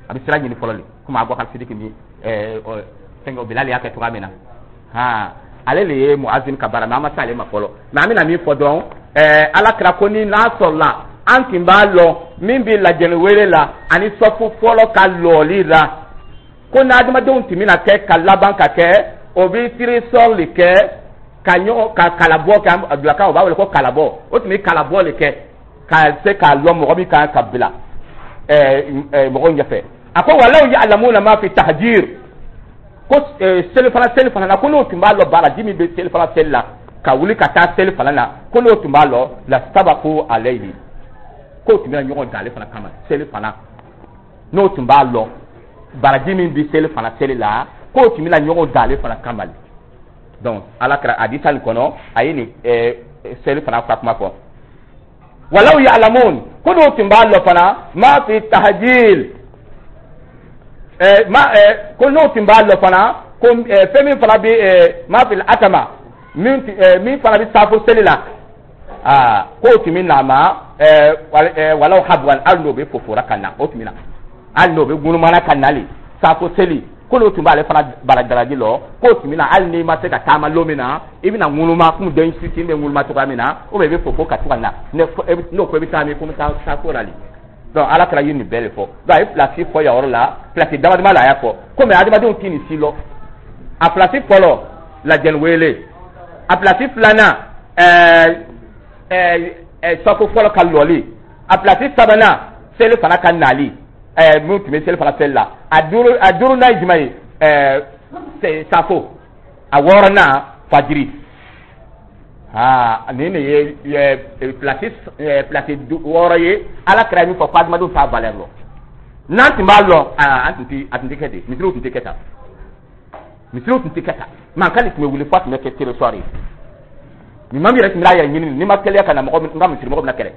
a bɛ sira ɲini fɔlɔ de, komi Abubakar Sidiki ni ɛɛ fɛnkɛ Bilali y'a kɛ cogoya min na. Han, ale de ye muazin ka baara, mɛ an ma se ale ma fɔlɔ. Mɛ an bɛna min fɔ dɔrɔn, ɛɛ Ala kira ko ni n'a sɔrɔla an tun b'a lɔn min bɛ lajɛli wele la ani sɔfu fɔlɔ ka lɔli la, ko n'adamadenw tun bɛna kɛ ka laban ka kɛ, o bɛ tirage de kɛ ka ɲɔgɔn ka kalabɔ kɛ. Dulakan o b'a wele ko kalabɔ. O tun bɛ kalabɔ de kɛ ka se k'a lɔn mɔgɔ min kan ka bila ɛɛ mɔgɔw ɲɛfɛ. A ko walaw ya'lamuna ma fi tahjir, ko selifana, seli fana na, ko n'o tun b'a lɔn baraji min bɛ selifana seli la, ka wuli ka taa seli fana na, ko n'o tun b'a lɔn, la sabaqu alayhi, k'o tun bɛna ɲɔgɔn dan ale fana kama seli fana. N'o tun b'a lɔn baraji min bɛ seli fana seli la, k'o tun bɛna ɲɔgɔn dan ale fana kama. Donc Ala kɛra hadisa nin kɔnɔ, a ye nin seli fana ka kuma fɔ. Walaw ya'lamun, ko n'o tun b'a lɔn fana ma fi tahjil, ma ko n'o tun b'a lɔn fana ko fɛn min fana bɛ ma fi atama, min min fana bɛ saafo seli la, aa, k'o tun bɛ na ma walaw habwan, hali n'o bɛ fofora ka na, o tun bɛ na, hali n'o bɛ ŋunumana ka nali saafo seli, ko n'o tun b'ale fana bara daraji lɔ, k'o tun bɛ na hali n'i ma se ka taama lon min na, i bɛna ŋunuma komi den fitinin bɛ ŋunuma cogoya min na, ou bien i bɛ fofo ka to ka na. N'o ko i bɛ taa min, ko n bɛ taa saafo la de. Donc Ala kɛra ye nin bɛɛ de fɔ. Donc a ye place fɔ yan yɔrɔ la, place dama dama la a y'a fɔ. Komi adamadenw tɛ nin si lɔ, a place fɔlɔ, lajɛli wele, a place filanan, ɛɛ ɛɛ safo fɔlɔ ka lɔli, a place sabanan, seli fana ka nali, ɛɛ min tun bɛ seli fana seli la, a duuru a duurunan ye jumɛn ye? Ɛɛ safo. A wɔɔrɔnan, fajiri. Aa, nin de ye place place wɔɔrɔ ye. Ala kɛra min fɔ ko adamadenw t'a valeur lɔn. N'an tun b'a lɔn, aa, an tun tɛ, a tun tɛ kɛ ten. Misiriw tun tɛ kɛ tan, misiriw tun tɛ kɛ tan. Mankan de tun bɛ wuli f'a tun bɛ kɛ territoire ye. Nin maa min yɛrɛ tun b'a yɛrɛ ɲini, n'i ma teliya ka na, mɔgɔ n ka misiri mɔgɔ bɛna kɛlɛ.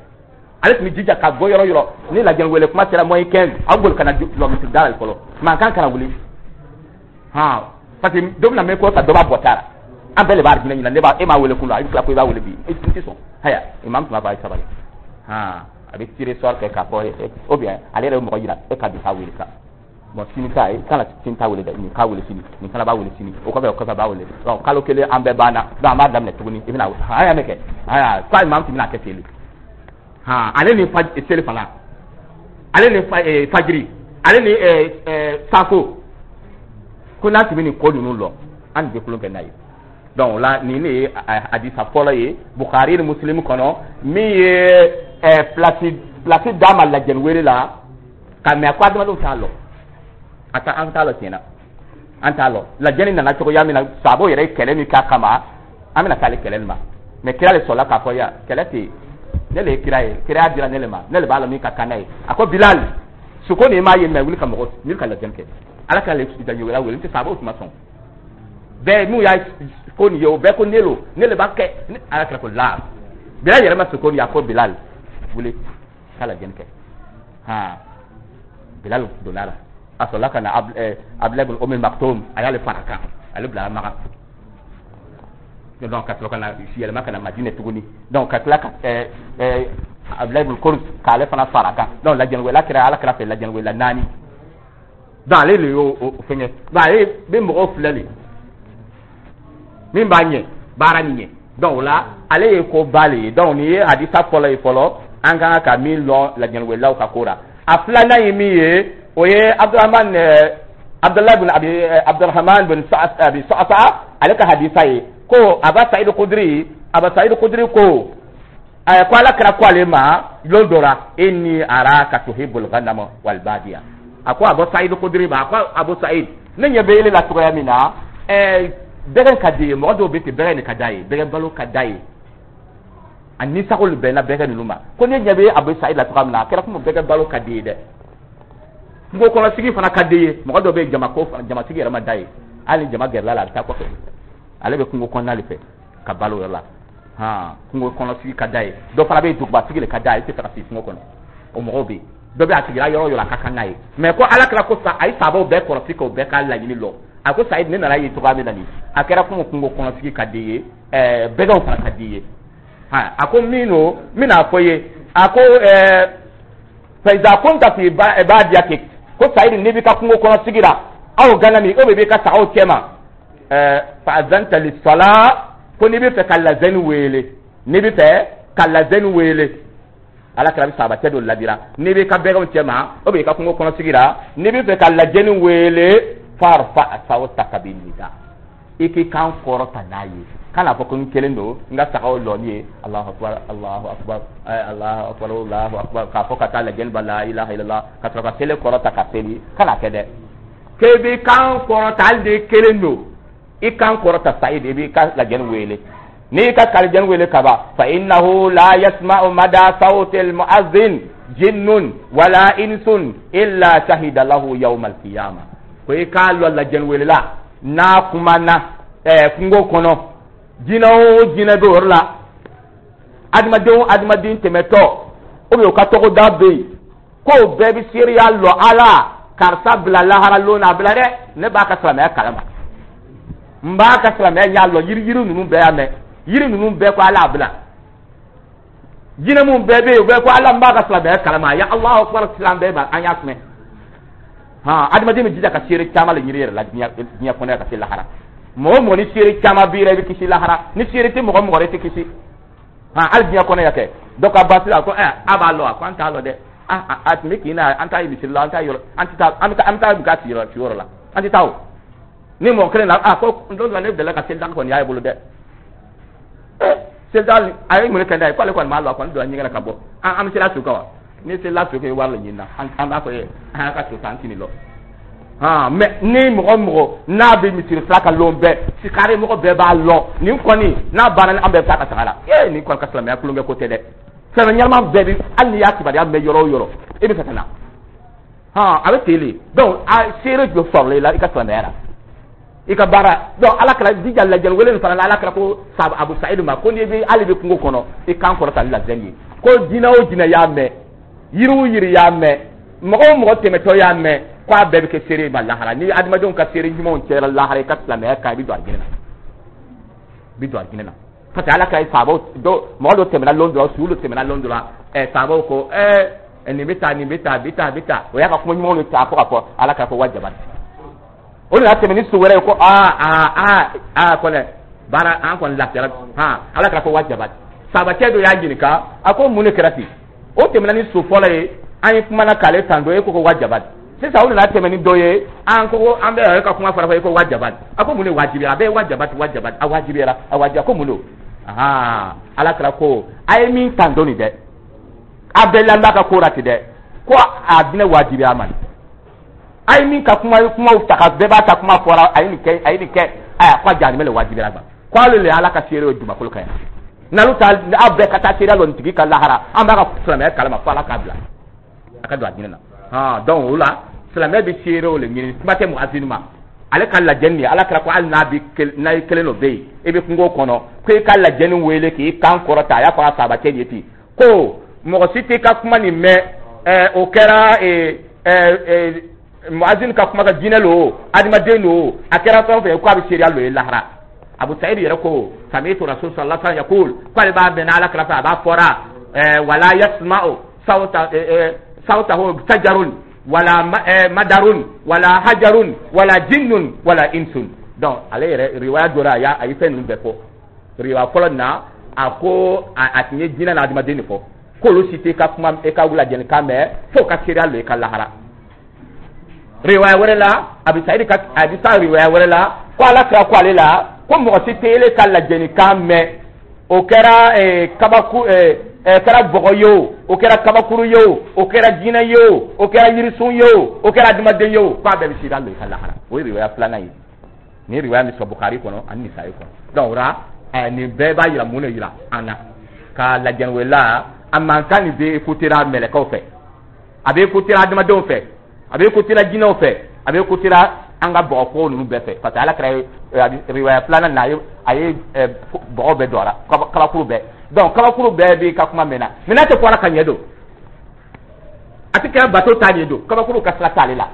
Ale tun bɛ jija ka bɔ yɔrɔ yɔrɔ ni lajɛli wele kuma sera moins quinze, aw boli ka na lɔ misiri da la fɔlɔ, mankan kana wuli. Han, parce que dɔ bɛna mɛn ko ta, dɔ b'a bɔ ta la, an bɛɛ de b'a jinɛ ɲina. Ne b'a e m'a wele kun la, i bɛ tila ko i b'a wele bi, i tɛ sɔn. Haya, imam tun b'a fɔ a ye sabali. Han, a bɛ tirage sort kɛ k'a fɔ, ou bien ale yɛrɛ bɛ mɔgɔ yira e ka bi k'a wele sa. Bon, sini ta, i kana sini ta wele dɛ, nin k'a wele sini, nin fana b'a wele sini, o kɔfɛ o kɔfɛ b'a wele. Donc kalo kelen an bɛɛ banna, donc an b'a daminɛ tuguni. I bɛna an y'a mɛn kɛ, haya, ko imam tun bɛna kɛ ten de. Han, ale ni seli fana, ale ni fajiri, ale ni safo, ko n'a tun bɛ nin ko ninnu lɔn, an tun tɛ kulon kɛ n'a ye. Donc o la, nin de ye hadisa fɔlɔ ye Bukhari ni Muslim kɔnɔ, min ye place place d'a ma lajɛli wele la ka mɛ ko adamadenw t'a lɔn. A ta, an t'a lɔn tiɲɛna, an t'a lɔn lajɛli nana cogoya min na. Saabo yɛrɛ ye kɛlɛ min k'a kama, an bɛna s'ale kɛlɛ nin ma. Mɛ kira de sɔrɔla k'a fɔ yan kɛlɛ tɛ yen. Ne le ye kira ye, kiraya dira ne le ma, ne le b'a la min ka kan n'a ye. A ko Bilal, suko nin m'a ye mɛ, wuli ka mɔgɔ wuli ka lajɛli kɛ. Ala ka le lajɛli wele, n tɛ sababu tun ma sɔn bɛɛ. N'u y'a ko nin ye, o bɛɛ ko ne lo, ne le b'a kɛ. Ala kira ko la, Bilal yɛrɛ ma suko nin ye. A ko Bilal, wuli ka lajɛli kɛ. Han, Bilal donna la, a sɔrɔla ka na Abdulayi bin Umi Maktoum, a y'ale fara kan, ale bila Makan. Donc ka sɔrɔ ka na yɛlɛma ka na Madinɛ tuguni. Donc ka tila ka ɛɛ ɛɛ Abdulayi bin Kurz, k'ale fana fara kan. Donc lajɛliwela kɛra ala kɛra fɛ, lajɛliwela naani. Donc ale de y'o o fɛngɛ. Donc ale bɛ mɔgɔw filɛ de, min b'a ɲɛ baara nin ɲɛ. Donc o la, ale ye ko ba le ye. Donc nin ye hadisa fɔlɔ ye fɔlɔ, an kan ka min lɔn lajɛliwelaw ka ko la. A filanan ye min ye, o ye Abdurahman Abdullah bin Abi Abdurrahman bin Abi Sa'sa, ale ka hadisa ye ko Aba Sa'id Khudri, Aba Sa'id Khudri ko ɛ ko ala kɛra ko ale ma lon dɔ la: "Inni araka tuhibbul ghanama wal badiya." A ko Abu Sa'id Khudri ma, a ko: "Abu Sa'id, ne ɲɛ bɛ ele la cogoya min na, ɛɛ bɛgɛn ka di ye. Mɔgɔ dɔw bɛ ten, bɛgɛn de ka d'a ye, bɛgɛn balo ka d'a ye, a ni sago de bɛnna bɛgɛn ninnu ma." Ko ne ɲɛ bɛ Abu Sa'id la cogoya min na, a kɛra komi bɛgɛn balo ka di ye dɛ, kungo kɔnɔ sigi fana ka di ye. Mɔgɔ dɔw bɛ yen, jama ko jamasigi yɛrɛ ma da ye, hali ni jama gɛrɛla la, a bɛ taa kɔfɛ, ale bɛ kungo kɔnɔna de fɛ ka balo yɔrɔ la. Han, kungo kɔnɔ sigi ka d'a ye. Dɔ fana bɛ yen, duguba sigi de ka d'a ye, i tɛ fɛ ka sigi kungo kɔnɔ. O mɔgɔw bɛ yen, dɔ bɛ a sigira yɔrɔ o yɔrɔ, a ka kan n'a ye. Mɛ ko ala kɛra ko sa, a ye saabaw bɛɛ kɔlɔsi k'o bɛɛ ka laɲini lɔ. A ko: "Sayid, ne nana ye cogoya min na nin, a kɛra komi kungo kɔnɔ sigi ka di ye, ɛɛ bɛgɛnw fana ka di ye." Han, a ko min don, n bɛna fɔ ye. A ko ɛɛ "Fa iza kunta fi badiyatik", ko Sayid, n'i b'i ka kungo kɔnɔ sigi la, aw ganami, o bɛ b'i ka sagaw cɛ ma, ɛɛ fa azanta lis-sala, ko n'i bɛ fɛ ka lazɛni wele, n'i bɛ fɛ ka lazɛni wele, ala kɛra bɛ sabacɛ dɔ ladira, n'i b'i ka bɛgɛnw cɛ ma, o b'i ka kungo kɔnɔ sigi la, n'i bɛ fɛ ka lajɛni wele, farfa sawtaka bin nida, i k'i kan kɔrɔta n'a ye. Kana fɔ ko n kelen don, n ka sagaw lɔni ye, Alahu akbar, Alahu akbar, Alahu akbar, Alahu akbar, k'a fɔ ka taa lajɛni ba, la ilaha illallah, ka sɔrɔ ka seli kɔrɔta ka seli. Kana kɛ dɛ, k'e b'i kan kɔrɔta, hali n'i kelen don, i kan kɔrɔta. Sayid, i b'i ka lajɛni wele, n'i ka kalijɛni wele kaba, fa innahu la yasma'u mada sawti al-mu'adhdhin jinnun wala insun illa shahida lahu yawm al-qiyamah. Ko i k'a lɔ, lajɛni welela n'a kumana ɛɛ kungo kɔnɔ, jinɛ o jinɛ bɛ o yɔrɔ la, adamaden o adamaden tɛmɛtɔ, ou bien o ka tɔgɔda bɛ yen, k'o bɛɛ bɛ seereya lɔ ala karisa bila lahara lon na, a bila dɛ, ne b'a ka silamɛya kalama, n b'a ka silamɛya ɲa lɔ. Yiri yiri ninnu bɛɛ y'a mɛn, yiri ninnu bɛɛ ko ala a bila, jinɛ mun bɛɛ bɛ yen, o bɛɛ ko ala, n b'a ka silamɛya kalama. Ya Alahu akbar, silam bɛɛ ma, an y'a sumɛ. Han, adamaden bɛ jija ka seere caman le ɲini yɛrɛ la diɲɛ diɲɛ kɔnɔ yan ka se lahara. Mɔgɔ mɔgɔ ni seere caman b'i la, i bɛ kisi lahara. Ni seere tɛ mɔgɔ mɔgɔ, i tɛ kisi. Han, hali diɲɛ kɔnɔ yan kɛ, dɔ ka baasi la ko ɛ a b'a lɔ, a ko an t'a lɔ dɛ, a a tun bɛ kin na, an t'a ye misiri la, an t'a yɔrɔ, an tɛ taa, an bɛ taa, an bɛ taa ka sigiyɔrɔ sigiyɔrɔ la, an tɛ taa o. Ni mɔgɔ kelen na, a ko don dɔ la, ne delila ka seli daga kɔni y'a bolo dɛ, ɛ seli daga a ye mun kɛ n'a ye? K'ale kɔni m'a lɔ, a kɔni donna ɲɛgɛn na ka bɔ. an an bɛ sela su kan wa? Ni selila su kan, i wari la ɲini na, an an b'a fɔ ye, an ka su kan, an tɛ nin lɔ. Han, mɛ ni mɔgɔ mɔgɔ n'a bɛ misiri fila ka lon bɛɛ sikari, mɔgɔ bɛɛ b'a lɔ nin kɔni n'a banna, an bɛɛ bɛ taa ka taga la. Ee, nin kɔni ka silamɛya kulonkɛ ko tɛ dɛ. Silamɛ ɲɛnama bɛɛ bi, hali n'i y'a kibaruya mɛn yɔrɔ o yɔrɔ, e bɛ fɛ ka na. Han, a bɛ ten de. Donc a seere jɔ sɔrɔla i la i ka silamɛya la, i ka baara. Donc ala kɛra jija lajɛli wele nin fana la, ala kɛra ko Abu Sayidu ma ko n'i bɛ hali bɛ kungo kɔnɔ, i kan kɔrɔta ni lajɛli ye, ko jinɛ o jinɛ y'a mɛn, yiri o yiri y'a mɛn, mɔgɔ o mɔgɔ tɛmɛtɔ y'a mɛn, ko a bɛɛ bɛ kɛ seere ma lahara. Ni adamadenw ka seere ɲumanw cɛra lahara, i ka silamɛya kan, i bɛ don alijinɛ na, i bɛ don alijinɛ na. Parce que ala ka sabaw dɔ, mɔgɔ dɔ tɛmɛna lon dɔ la, su dɔ tɛmɛna lon dɔ la, ɛ sabaw ko ɛ nin bɛ taa, nin bɛ taa, bɛ taa, bɛ taa. O y'a ka kuma ɲumanw de ta fo ka fɔ ala k'a fɔ wajaba. O nana tɛmɛ ni so wɛrɛ ye, ko aa aa aa aa kɔnɛ baara, an kɔni lafiyara. Han, ala k'a fɔ wajaba. Sabacɛ dɔ y'a ɲininka, a ko mun de kɛra ten? O tɛmɛna ni so fɔlɔ ye, an ye kumana k'ale tan dɔ, e ko ko wajaba. Sisan o nana tɛmɛ ni dɔ ye, an ko ko an bɛ ka kuma fara fɔ, e ko wajaba. A ko mun de wajibiya? A bɛɛ ye wajaba, wajaba, a wajibiyara, a wajibiya. Ko mun don? Ahan, ala kɛra ko a ye min tan dɔ nin dɛ, a bɛɛ lamɛn ka ko la ten dɛ, ko a bɛna wajibiya ma. A ye min ka kuma kumaw ta ka bɛɛ b'a ta kuma fɔra, a ye nin kɛ, a ye nin kɛ, ayiwa, ko a jahanamɛ le wajibiyara ma, ko ale le ala ka seere ye dugumakolo kan yan. N'alu ta, aw bɛɛ ka taa seereya lɔ nin tigi ka lahara. An b'a ka silamɛya kalama fo Ala k'a bila a ka don a diinɛ na. Hɔn, donc o la, silamɛ bɛ seerew le ɲini. Kuma tɛ muazini ma, ale ka lajɛni nin, Ala kɛra ko hali n'a bɛ, n'a ye kelen dɔ bɛ yen, i bɛ kungo kɔnɔ, ko i ka lajɛni wele k'i kan kɔrɔta. A y'a fɔ a sahabacɛ ye ten ko mɔgɔ si t'i ka kuma nin mɛn. ɛɛ o kɛra ɛɛ ɛɛ muazini ka kuma ka jinɛ lo, adamaden lo, a kɛra fɛn o fɛn ye, ko a bɛ seereya lo ye lahara. Abu Sa'id yɛrɛ ko: "Sami'tu Rasul sallallahu alaihi wasallam yaqul", ko ale b'a mɛn Ala kɛra fɛ, a b'a fɔra ɛɛ wala yasma'u sawta ɛɛ sawtahu sajarun wala madarun wala hajarun wala jinnun wala insun. Donc ale yɛrɛ, riwaya dɔ la, a y'a a ye fɛn ninnu bɛɛ fɔ. Riwaya fɔlɔ nin na, a ko a tun ye jinɛ n'a adamaden de fɔ, k'olu si tɛ ka kuma e ka lajɛlikan mɛn fo ka seereya lo i ka lahara. Riwaya wɛrɛ la, a bɛ Sayidi ka, a bɛ sa riwaya wɛrɛ la, ko Ala kira ko ale la ko mɔgɔ si tɛ ele ka lajɛlikan mɛn, o kɛra kabaku ɛ kɛra bɔgɔ ye o, o kɛra kabakuru ye o, o kɛra jinɛ ye o, o kɛra yirisun ye o, o kɛra adamaden ye o, k'a bɛɛ bɛ seereya lo i ka lahara. O ye riwaya filanan ye. Nin ye riwaya min sɔrɔ Bukari kɔnɔ ani Nisayi kɔnɔ. Donc o la, nin bɛɛ b'a yira mun de yira an na ka lajɛliwela a mankan nin bɛ écouter mɛlɛkɛw fɛ, a bɛ écouter adamadenw fɛ, a bɛ écouter jinɛw fɛ, a bɛ écouter an ka bɔgɔkow ninnu bɛɛ fɛ, parce que Ala kɛra riwaya filanan na, a ye a ye bɔgɔ bɛɛ don a la, kabakuru bɛɛ. Donc kabakuru bɛɛ b'i ka kuma mɛn na, mais n'a tɛ fɔ ala ka ɲɛ don, a tɛ kɛ bato t'a ɲɛ don. Kabakuru ka sira t'ale la,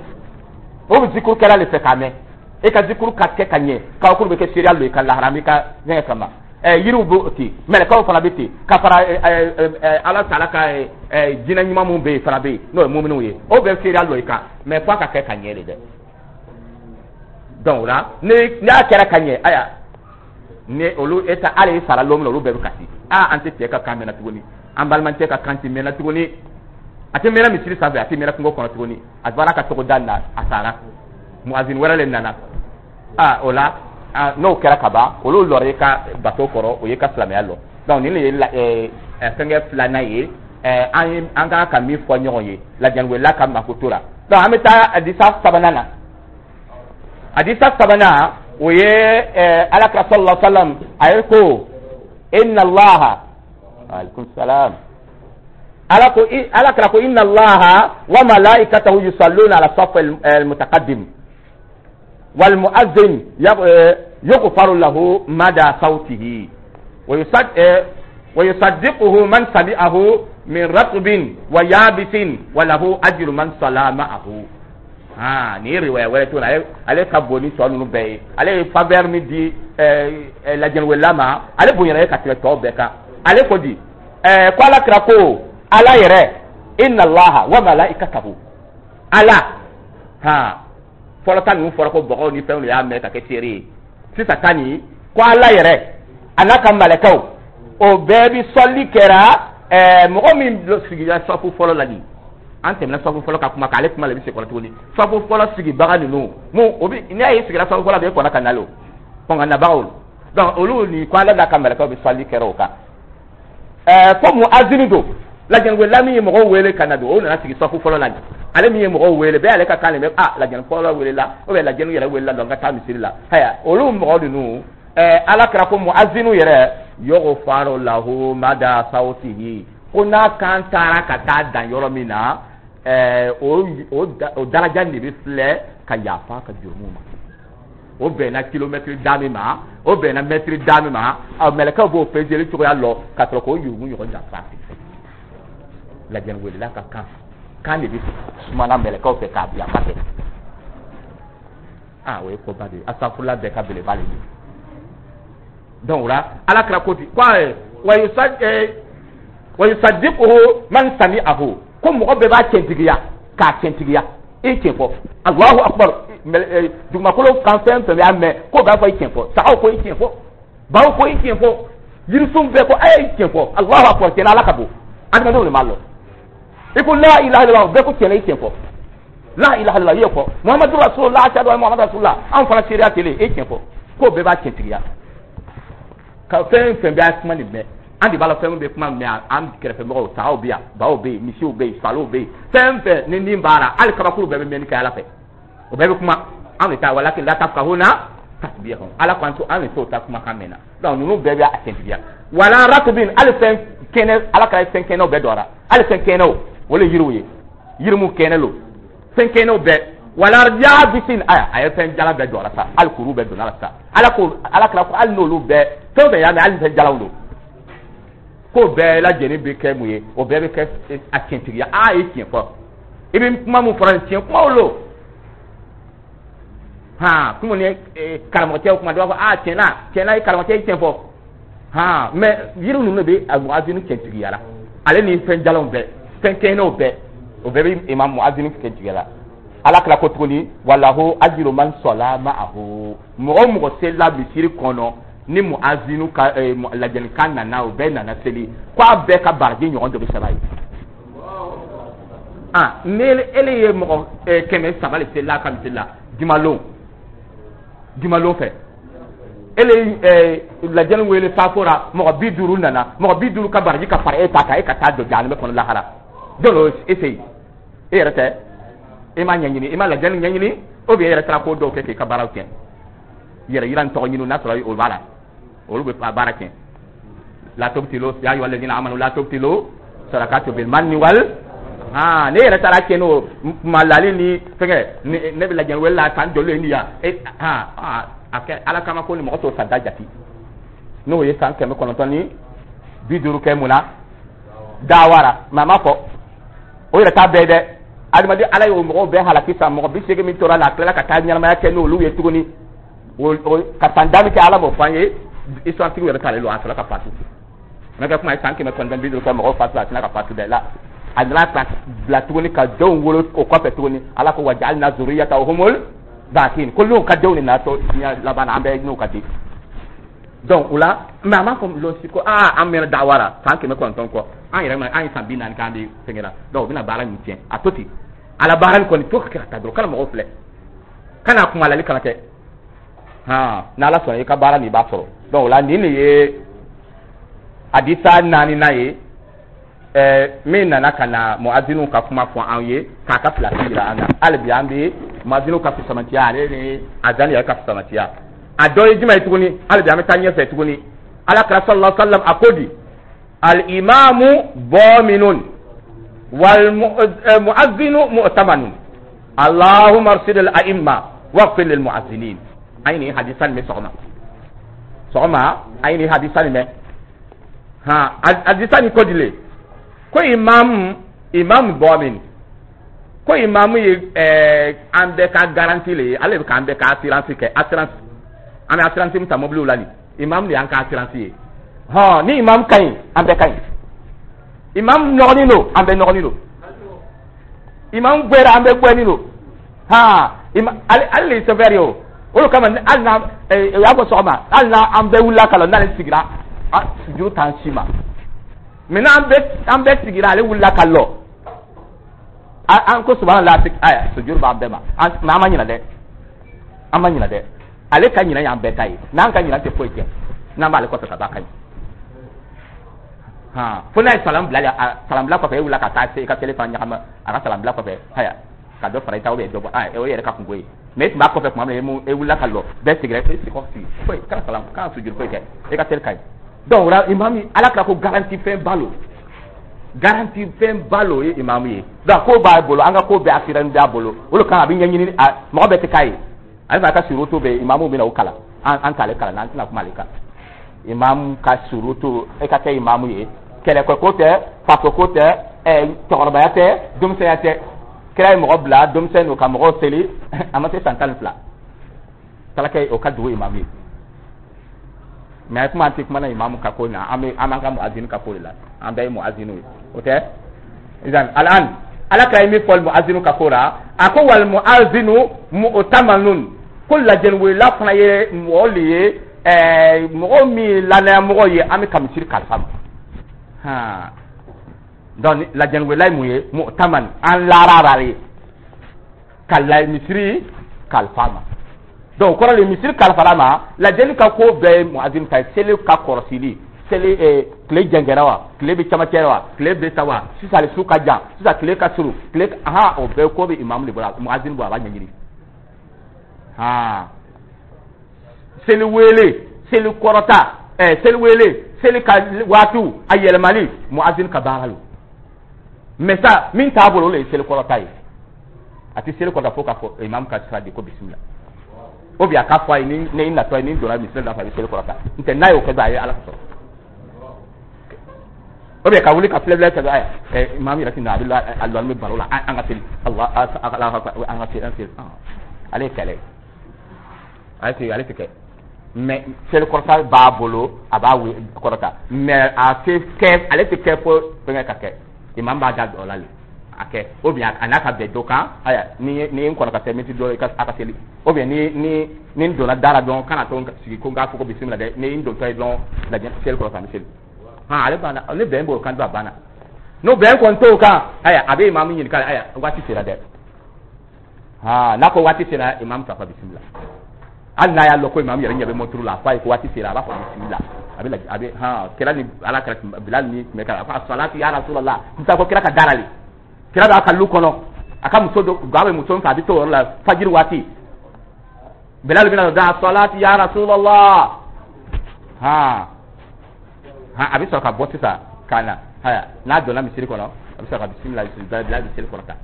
o bɛ zikuru kɛla le fɛ k'a mɛn. E ka zikuru ka kɛ ka ɲɛ, kabakuru bɛ kɛ seereya lo i ka lahara i ka fɛngɛ kama. ɛ yiriw bɛ ten, mɛlɛkɛw fana bɛ ten, ka fara Ala taala ka jinɛ ɲuman mun bɛ yen fana bɛ yen, n'o ye muminiw ye, o bɛɛ seereya lo i kan, mais f'a ka kɛ ka ɲɛ de dɛ. Donc o la, ni n'a kɛra ka ɲɛ, aya, ni olu e ta hali i sara lon min na, olu bɛɛ bɛ kasi. Aa, an tɛ cɛ ka kan mɛnna tuguni, an balimakɛ ka kan tɛ mɛnna tuguni, a tɛ mɛnna misiri sanfɛ, a tɛ mɛnna kungo kɔnɔ tuguni, a bɔra ka togoda na, a sara, muazin wɛrɛ le nana. Aa, o la, n'o kɛra ka ban, olu lɔra i ka bato kɔrɔ, o y'i ka silamɛya lɔ. Donc nin de ye fɛnkɛ filanan ye an ye an kan ka min fɔ ɲɔgɔn ye lajɛliwela ka makoto la. Donc an bɛ taa hadisa sabanan na. Hadisa sabanan, o ye Alakira sallallahu alaihi wa sallam, a ye ko: "Inna Allaha", alaikum salam, ala ko, Ala kira ko: "Inna Allaha wa malaikatahu yusalluna ala saf al-mutaqaddim wal muazzin yughfaru lahu mada sawtihi wa yusaddiquhu man sami'ahu min ratbin wa yabisin wa lahu ajru man salla ma'ahu." Aa, nin ye riwaya wɛrɛ tuguni. Ale ale ka bon ni tɔ ninnu bɛɛ ye. Ale ye faveur min di lajɛliwela ma, ale bonyana ye ka tɛmɛ tɔw bɛɛ kan. Ale ko di ɛɛ ko Ala kira ko Ala yɛrɛ: "Inna Allaha wa malaikatahu", Ala. Ha, fɔlɔ ta ninnu fɔra ko bɔgɔw ni fɛnw de y'a mɛn ka kɛ seere ye. Sisan ta nin ko Ala yɛrɛ a n'a ka mɛlɛkɛw, o bɛɛ bi sɔli kɛra ɛɛ mɔgɔ min sigira safu fɔlɔ la. Nin an tɛmɛna safu fɔlɔ ka kuma kan, ale kuma de bɛ segin kɔrɔ tuguni. Safu fɔlɔ sigibaga ninnu mun, o bi n'i y'a ye sigira safu fɔlɔ, a bɛ kɔnɔ ka na o kɔn ka nabagaw. Donc olu ni ko Ala n'a ka mɛlɛkɛw bɛ sɔli kɛra o kan. ɛɛ fo muazini don, lajɛliwela min ye mɔgɔw wele ka na don, o nana sigi safu fɔlɔ la. Ale min ye mɔgɔw wele bɛɛ, ale ka kan de bɛ ah lajɛli fɔlɔ welela ou bien lajɛli yɛrɛ welela, donc ka taa misiri la. Haya, olu mɔgɔ ninnu, ɛɛ Ala kɛra ko muazinu yɛrɛ, yughfaru lahu mada sawtihi, ko n'a kan taara ka taa dan yɔrɔ min na, ɛɛ o o daraja de bɛ filɛ ka yafa ka jurumu ma. O bɛnna kilomɛtiri da min ma, o bɛnna mɛtiri da min ma, ɔ mɛlɛkɛw b'o peseli cogoya lɔ ka sɔrɔ k'o jurumu ɲɔgɔn janfa. Lajɛliwelela ka kan kan de bɛ sumana mɛlɛkɛw fɛ k'a yafa kɛ. Aa, o ye koba de ye, asafurula bɛɛ ka belebele de ye. Donc o la, Ala kira ko ten ko wa wa yusaddiquhu man sami'ahu, ko mɔgɔ bɛɛ b'a tiɲɛtigiya k'a tiɲɛtigiya, i tiɲɛ fɔ, Allahu akbar. Dugumakolo kan, fɛn fɛn y'a mɛn k'o b'a fɔ i tiɲɛ fɔ. Sagaw ko i tiɲɛ fɔ, baw ko i tiɲɛ fɔ, yirisun bɛɛ ko a ye tiɲɛ fɔ, Allahu akbar, tiɲɛ Ala ka bon. Adamadenw de m'a lɔn. I ko la ilaha illallah, bɛɛ ko tiɲɛ, i tiɲɛ fɔ, la ilaha illallah, i ye fɔ Muhammadu rasulullah, ashhadu anna Muhammadu rasulullah, anw fana seereya kelen, e tiɲɛ fɔ, k'o bɛɛ b'a tiɲɛtigiya ka fɛn fɛn bɛ a kuma nin mɛn. An de b'a la, fɛn bɛ kuma mɛn an kɛrɛfɛmɔgɔw, sagaw bɛ yan, baw bɛ yen, misiw bɛ yen, saliw bɛ yen, fɛn fɛn ni nin b'a la, hali kabakuru bɛɛ bɛ mɛnni kɛ Ala fɛ, o bɛɛ bɛ kuma. An de ta walakin la tafqahuna tasbihahum, Ala k'an to an de t'o ta kumakan mɛn na. Donc ninnu bɛɛ bɛ a tiɲɛtigiya. Wala ratubin, hali fɛn kɛnɛ, Ala kɛra fɛn kɛnɛw bɛɛ dɔra, hali fɛn kɛnɛw, o le yiriw ye, yiri mu kɛnɛ lo, fɛn kɛnɛw bɛɛ. Wala yabisin, aya, a ye fɛn jala bɛɛ dɔra sa, hali kuru bɛɛ donna la sa. Ala ko, Ala kɛra ko hali n'olu bɛɛ, fɛn o fɛn y'a mɛn, hali fɛn jalaw don, ko bɛɛ lajɛlen bɛ kɛ mun ye? O bɛɛ bɛ kɛ a tiɲɛtigiya. Aa, ye tiɲɛ fɔ, i bɛ kuma mun fɔra nin, tiɲɛ kumaw lo. Han, kuma ni karamɔgɔcɛw kuma, dɔ b'a fɔ: aa, tiɲɛ na, tiɲɛ na, i karamɔgɔcɛ ye tiɲɛ fɔ. Han, mais yiri ninnu de bɛ a muazini tiɲɛtigiya la, ale ni fɛn jalanw bɛɛ, fɛn kɛnɛw bɛɛ, o bɛɛ bɛ imam muazini tiɲɛtigiya la. Ala kila ko tuguni: walahu ajiru man sɔla ma'ahu. Mɔgɔ o mɔgɔ selila misiri kɔnɔ ni muazinu ka lajɛlikan nana, o bɛɛ nana seli, ko a bɛɛ ka baraji ɲɔgɔn dɔ bɛ saba ye. Ah, ni ele ye mɔgɔ kɛmɛ saba de selila ka misiri la jumalon, jumalon fɛ, ele lajɛli wele saafo la, mɔgɔ bi duuru nana, mɔgɔ bi duuru ka baraji ka fara e ta kan, e ka taa don jahanamɛ kɔnɔ lahara. Jɔn o ese? E yɛrɛ tɛ, e ma ɲɛɲini, e ma lajɛli ɲɛɲini, ou bien e yɛrɛ taara ko dɔw kɛ k'i ka baaraw tiɲɛ, yɛrɛ yira ni tɔgɔ ɲini. N'a sɔrɔ o b'a la, olu bɛ baara tiɲɛ. La tubtilu, ya ayyuha alladhina amanu la tubtilu sadaqatu bil manni wal. Ah, ne yɛrɛ taara tiɲɛ n'o malali ni fɛngɛ. Ne bɛ lajɛli wele la k'an jɔlen ni yan e. Ah, a kɛ Ala kama ko ni mɔgɔ t'o santa jate, n'o ye san kɛmɛ kɔnɔntɔn ni bi duuru kɛ mun na dawara. Maa ma fɔ o yɛrɛ t'a bɛɛ dɛ. Adamaden, Ala y'o mɔgɔw bɛɛ halaki sa, mɔgɔ bi seegin min tora la, a tilala ka taa ɲɛnamaya kɛ n'olu ye tuguni ka san da min kɛ, Ala m'o fɔ an ye. Histoire tigiw yɛrɛ t'ale lɔn. A sɔrɔ ka fatu n'a kɛ kuma ye, san kɛmɛ kɔnɔntɔn bi duuru kɛ mɔgɔw fatu, a tɛna ka fatu dɛ la. A nana ka bila tuguni ka denw wolo o kɔfɛ tuguni. Ala ko: waja'alna zurriyatahumul bakin. Ko n'u ka denw de nana to diɲɛ laban na, an bɛɛ n'u ka den. Donc o la, mais a m'a fɔ lɔsi ko aa, an mɛnna dawara san kɛmɛ kɔnɔntɔn kɔ, an yɛrɛ ma an ye san bi naani k'an bɛ fɛnkɛ la. Donc u bɛna baara min tiɲɛ, a to ten. Ala baara nin kɔni to ka kɛ ka taa dɔrɔn, kana mɔgɔw filɛ, kana kumalali kana kɛ. Han, n'Ala sɔnna, i ka baara nin, i b'a sɔrɔ. Donc o la, nin de ye hadisa naaninan ye ɛɛ min nana ka na muaziniw ka kuma fɔ an ye, k'a ka pilasi yira an na. Hali bi an bɛ muaziniw ka fisamantiya, ale ni azan yɛrɛ ka fisamantiya. A dɔ ye jumɛn ye tuguni? Hali bi an bɛ taa ɲɛfɛ tuguni. Ala kira sallallahu alaihi wa sallam a ko di: al imamu daminun wal muazzinu mu'tamanun, allahumma arsid al a'imma waghfir lil muazzinin. An ye nin hadisa nin mɛn sɔgɔma sɔgɔma, an ye nin hadisa nin mɛn. Han, hadisa nin ko di le? Ko imamu imamu damin, ko imamu ye ɛɛ an bɛɛ ka garantie le ye, ale bɛ k'an bɛɛ ka assurance kɛ. Assurance, an bɛ assurance min ta mobiliw la nin, imamu de y'an ka assurance ye. Hɔn, ni imamu ka ɲi, an bɛɛ ka ɲi. Imamu nɔgɔnin don, an bɛɛ nɔgɔnin don. Imamu gbɛra, an bɛɛ gbɛnin don. Han, ima ale ale de ye chauffeur ye. O o de kama, hali n'a o y'a fɔ sɔgɔma, hali n'a an bɛɛ wulila ka lɔ, n'ale sigira, juru t'an si ma. Mais n'an bɛɛ an bɛɛ sigira, ale wulila ka lɔ, an ko subhanallah, aya, sujuru b'an bɛɛ ma. An mais an ma ɲinɛ dɛ, an ma ɲinɛ dɛ. Ale ka ɲinɛ y'an bɛɛ ta ye. N'an ka ɲinɛ tɛ foyi tiɲɛ, n'an b'ale kɔfɛ ka ban, ka ɲi. Han, fo n'a ye salam bila, salam bila kɔfɛ, e wulila ka taa se i ka télé fana ɲagami a ka salam bila kɔfɛ, haya, ka dɔ fara i ta, dɔ bɔ, o yɛrɛ ka kungo ye. Mais e tun b'a kɔfɛ tuma min, e wulila ka lɔ, bɛɛ sigira, e sigi sigi foyi kana salam, kana sujuru foyi kɛ, e ka télé ka ɲi. Donc o la, imamu, Ala ka ko garantie fɛn ba lo, garantie fɛn ba lo ye imamu ye. Donc ko b'a bolo, an ka ko bɛɛ assuré b'a bolo. O de kama a bɛ ɲɛɲini, mɔgɔ bɛɛ tɛ k'a ye. Ale fana ka surutu bɛ imamu bɛna o kalan, an an t'ale kalan, an tɛna kuma ale kan. Imamu ka surutu, e ka kɛ imamu ye, kɛlɛkɛ ko tɛ, faso ko tɛ, ɛ cɛkɔrɔbaya tɛ, denmisɛnya tɛ. Kira ye mɔgɔ bila denmisɛn don ka mɔgɔw seli, a ma se san tan ni fila, kala kɛ o ka dugu imamu ye. Mais kuma an tɛ kuma na imamu ka ko na, an bɛ an b'an ka muazini ka ko de la. An bɛɛ ye muazini ye, o tɛ? Idan al'an, Ala ka ye min fɔ muazinu ka ko la, a ko: wal muazinu mu'tamanun. Ko lajɛliwelela fana ye mɔgɔ le ye, ɛɛ mɔgɔ min ye lanaya mɔgɔ ye, an bɛ ka misiri kalifa ma. Han, donc lajɛliwelela ye mun ye? Mu'taman, an laarara ye ka la misiri kalifa ma. Donc o kɔrɔ de, misiri kalifara ma, lajɛli ka ko bɛɛ ye muazin ta ye. Seli ka kɔrɔsili, seli eh, tile jɛngɛra wa, tile bɛ camancɛ wa, tile bɛ sa wa, sisan su ka jan, sisan tile ka surun, tile, ahan, o bɛɛ ko bɛ imamu de bolo, muazin bolo, a b'a ɲɛɲini. Han, seli wele, seli kɔrɔta. Ɛɛ, seli wele, seli ka waatiw a yɛlɛmali, muazin ka baara lo. Mais sa min t'a bolo, o le ye seli kɔrɔta ye. A tɛ seli kɔrɔta fo k'a fɔ imam ka sira di ko bisimila, ou bien a k'a fɔ a ye ni ne natɔ ye, ni donna misiri la, a bɛ seli kɔrɔta. N tɛ n'a y'o kɛ dɔrɔn, a ye Ala sɔsɔ. Ou bien ka wuli ka filɛ filɛ kɛ, aya, ɛ, imam yɛrɛ ti na, a bɛ la a lɔn bɛ baro la, an ka seli, Allah, an ka seli, an seli. Ale ye kɛlɛ ye, ale tɛ ale tɛ kɛ. Mais seli kɔrɔta b'a bolo, a b'a kɔrɔta, mais a tɛ kɛ, ale tɛ kɛ fo fɛngɛ ka kɛ. Imam b'a da dɔ la le a kɛ, ou bien a n'a ka bɛn dɔ kan. Aya, ni ni n kɔnɔ ka se miniti dɔ i ka a ka seli, ou bien ni ni ni n donna da la dɔrɔn, kana to sigi ko n k'a fɔ ko bisimila dɛ. Ni n dontɔ ye dɔrɔn, lajɛ, seli kɔrɔta, n bɛ seli. Han, ale banna. Ni bɛn b'o kan dɔrɔn, a banna. N'o bɛn kɔni t'o kan, aya, a bɛ imamu ɲininka: aya, waati sera dɛ? Ha, n'a ko waati sera, imamu t'a fɔ bisimila. Hali n'a y'a lɔn ko imamu yɛrɛ ɲɛ bɛ mɔturu la, a fɔ a ye ko waati sera, a b'a fɔ bisimila. A bɛ a bɛ han, kira ni Ala kɛra Bilal ni tun bɛ kɛ, a ko asalatu ya Rasulallah. N t'a fɔ kira ka da la le. Kira b'a ka lu kɔnɔ, a ka muso dɔ ga bɛ muso min fɛ, a bɛ to o yɔrɔ la fajiri waati. Bilal bɛna da asalatu ya Rasulallah. Ha ha, a bɛ sɔrɔ ka bɔ sisan ka na. Haya, n'a donna misiri kɔnɔ, a bɛ sɔrɔ ka bisimila. Bilal bɛ seli kɔrɔta.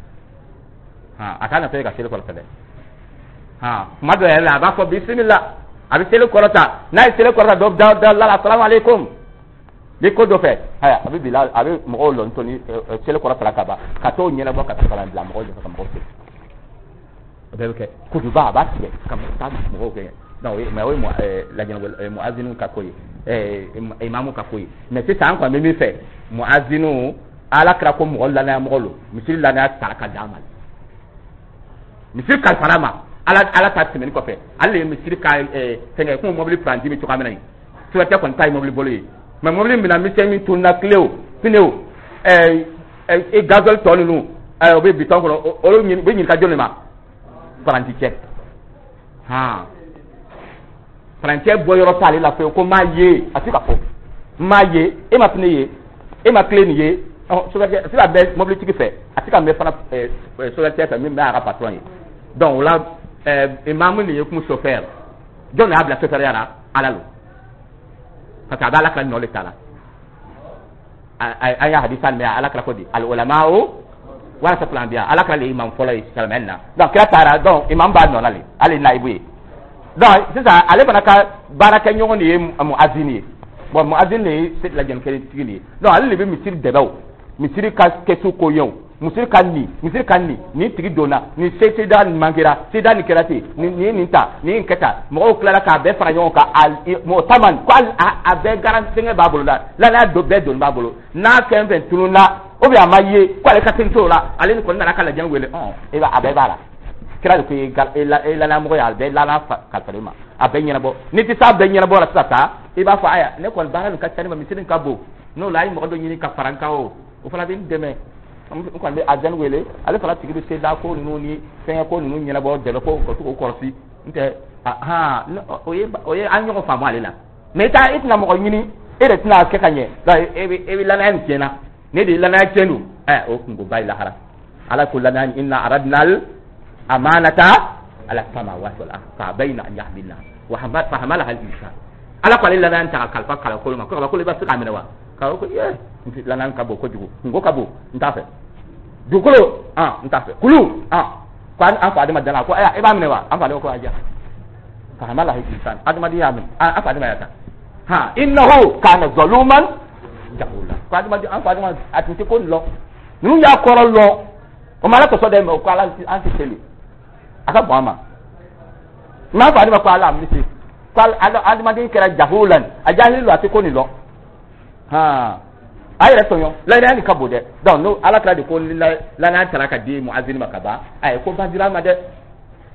Ha, a k'a na to ka seli kɔrɔta dɛ. Ha, kuma dɔ yɛrɛ la, a b'a fɔ bisimila, a bɛ seli kɔrɔta. N'a ye seli kɔrɔta dɔ da da la, asalamu aleykum, ni ko dɔ fɛ, haya, a bɛ bila, a bɛ mɔgɔw lɔn to ni seli kɔrɔta ka ban, ka t'o ɲɛnabɔ, ka to ka na bila mɔgɔw ɲɛfɛ ka mɔgɔw seli. O bɛɛ bɛ kɛ. Kutuba, a b'a tigɛ ka taa mɔgɔw kɛ. Donc o ye, mais o ye lajɛnɛ muazinu ka ko ye, ɛɛ, imamu ka ko ye. Mais sisan an kɔni bɛ min fɛ, muazinu, Ala kɛra ko mɔgɔ lanaya mɔgɔ lo. Misiri lanaya tara ka d'a ma, misiri kalifara ma. Ala Ala ta tɛmɛni kɔfɛ, ale de ye misiri ka ɛɛ fɛngɛ komi mobili paranti bɛ cogoya min na yen. Sɛbɛtɛ kɔni ta ye mobili bolo ye, mais mobili minɛ misɛn min tununa, clé o, pneu o, ɛɛ ɛɛ gasoil tɔ ninnu, ɛɛ o bɛ bitɔn kɔnɔ, olu bɛ ɲininka jɔn de ma? Paranti cɛ. Han, paranticɛ bɔ yɔrɔ t'ale la fewu ko m'a ye. A tɛ ka fɔ m'a ye, e ma pneu ye, e ma clé nin ye. Ɔ, sofɛrikɛ a tɛ ka bɛn mobilitigi fɛ, a tɛ ka mɛn fana ɛɛ sofɛrikɛ fɛ min bɛ a ka patron ye. Donc o la, ɛɛ imamu nin ye kun chauffeur. Jɔn de y'a bila chauffeur ya la? Ala lo, parce que a bɛ Ala ka nɔ de ta la. An y'a hadisa mɛn, Ala kɛra ko di al ulama'u warasatul anbiya. Ala kɛra le imam fɔlɔ ye silamɛya na. Donc kira taara, donc imam b'a nɔ la le, ale ye nayibu ye. Donc sisan ale fana ka baarakɛɲɔgɔn de ye muazin ye. Bon, muazin de ye lajɛlikɛtigi de ye. Donc ale de bɛ misiri dɛbɛw, misiri ka kɛsu ko ye, o misiri ka nin, misiri ka nin, nin tigi donna nin, seda nin mankera, seda nin kɛra ten, nin nin nin ta, nin kɛ tan. Mɔgɔw tilala k'a bɛɛ fara ɲɔgɔn kan, a mɔgɔ taman ko a a bɛɛ garanti fɛngɛ b'a bolo la, lanaya do bɛɛ doni b'a bolo. N'a fɛn fɛn tununna, ou bien a ma ye ko ale ka teli t'o la, ale ni kɔni nana ka lajɛ wele. Ɔn, e b'a, a bɛɛ b'a la. Kira de ko e lanamɔgɔ ye, a bɛɛ lana kalifa ma, a bɛɛ ɲɛnabɔ. N'i tɛ s'a bɛɛ ɲɛnabɔ la sisan sa, i b'a fɔ: aya, ne kɔni baara nin ka ca ne ma, misiri nin ka bon. N'o la, a ye mɔgɔ dɔ ɲini ka fara n kan, o o fana bɛ n dɛmɛ. N kɔni bɛ azan wele, ale fana tigi bɛ se da ko ninnu ni fɛngɛ ko ninnu ɲɛnabɔ, dɛmɛ ko ka to k'o kɔlɔsi. N tɛ han, o ye o ye an ɲɔgɔn faamu ale la. Mais i t'a, e tɛna mɔgɔ ɲini, e de tɛna kɛ ka ɲɛ. Donc e bɛ e bɛ lanaya nin tiɲɛna, ne de ye lanaya tiɲɛ don. Ɛ, o kunkoba ye lahara. Ala ko lanaya: inna aradnal amanata ala samawati wal ard fa abayna an yahmilna wa fahamalaha al insan. Ala ko ale lanaya ta ka kalifa kalakolo ma, ko kabakolo i b'a se k'a minɛ wa? K'a ko ye lanaya ka bon kojugu, kunko ka bon, n t'a fɛ. Dugukolo, ah, n t'a fɛ. Kulu, ah, ko an fa Adama dala ko aya, e b'a minɛ wa? An fa Adama ko aja, fahamalaha al insan, adamaden y'a minɛ, an fa Adama y'a ta. Ha, innahu kana zaluman jahula. Ko adamaden, an fa Adama a tun tɛ ko nin lɔn, ninnu y'a kɔrɔ lɔn, o ma Ala sɔsɔ dɛ. Mais ko Ala an tɛ seli, a ka bon an ma. N'a fa Adama ko Ala mi se ko adamaden kɛra jahulan, a jahili lo, a tɛ ko nin lɔn. Han, a yɛrɛ tɔɲɔ, lanaya nin ka bon dɛ. Donc n'o Ala kɛra de ko lanaya taara ka di muazini ma ka ban, a ye ko ba dira a ma dɛ.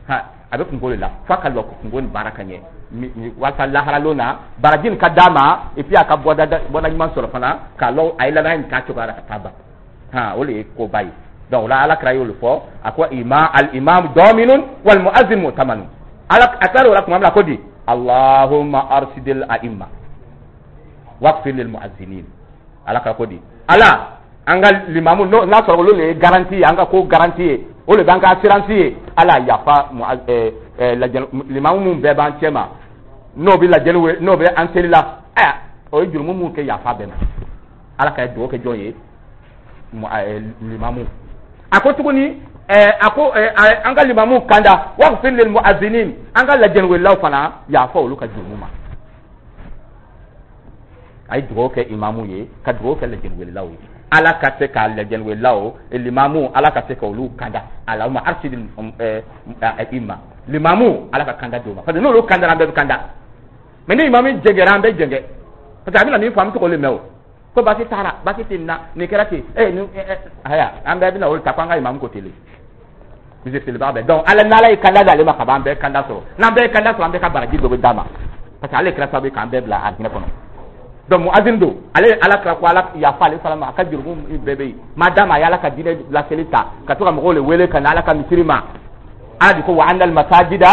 Ha, a bɛ kungo de la f'a ka lɔ kungo nin baara ka ɲɛ walasa laharalon na baraji nin ka d'a ma, et puis a ka bɔda bɔda ɲuman sɔrɔ fana k'a lɔ a ye lanaya nin k'a cogoya la ka taa ban. Han, o de ye koba ye. Donc o la, Ala kɛra y'o de fɔ, a ko ima al imam daminun wal muazzin mu'tamanun. Ala a tilara o la tuma min na, ko di: Allahumma arsidil a'imma waqfir lil muazzinin. Ala ka ko di Ala, an ka limamu, n'a sɔrɔ olu de ye garantie ye, an ka ko garantie ye, o de b'an ka assurance ye. Ala yafa limamu mun bɛɛ b'an cɛ ma, n'o bɛ lajɛli, n'o bɛ an seli la. Aya, o ye jurumu mun kɛ, yafa bɛɛ ma. Ala ka dugawu kɛ jɔn ye? Limamu. A ko tuguni, a ko an ka limamu kanda, waghfir lil mu'adhdhinin, an ka lajɛliwelelaw fana, yafa olu ka jurumu ma. A ye dugawu kɛ imamu ye, ka dugawu kɛ lajɛliwelelaw ye, Ala ka se k'a lajɛliwelelaw, limamu, Ala ka se ka olu kanda. Allahumma arshid imma, limamu, Ala ka kanda d'u ma, parce que n'olu kandara, an bɛɛ bɛ kanda. Mais ni imamu jɛngɛra, an bɛɛ jɛngɛ, parce que a bɛna min fɔ, an bɛ to k'o de mɛn. O ko basi taara, basi tɛ nin na, nin kɛra ten, eh nin haya, an bɛɛ bɛna olu ta ko an ka imamu ko ten de, misiriba bɛɛ. Donc Ala, n'Ala ye kanda d'ale ma ka ban, an bɛɛ kanda sɔrɔ. N'an bɛɛ ye kanda sɔrɔ, an bɛɛ ka baraji dɔ bɛ d'a ma, parce que ale kɛra sababu ye k'an bɛɛ bila arijinɛ kɔnɔ. Donc muazin don, ale, Ala kira ko Ala yafa ale fana ma, a ka jurumu bɛɛ bɛ yen, maa d'a ma, a ye Ala ka diinɛ laseli ta ka to ka mɔgɔw le wele ka na Ala ka misiri ma. Ala de ko wa annal masajida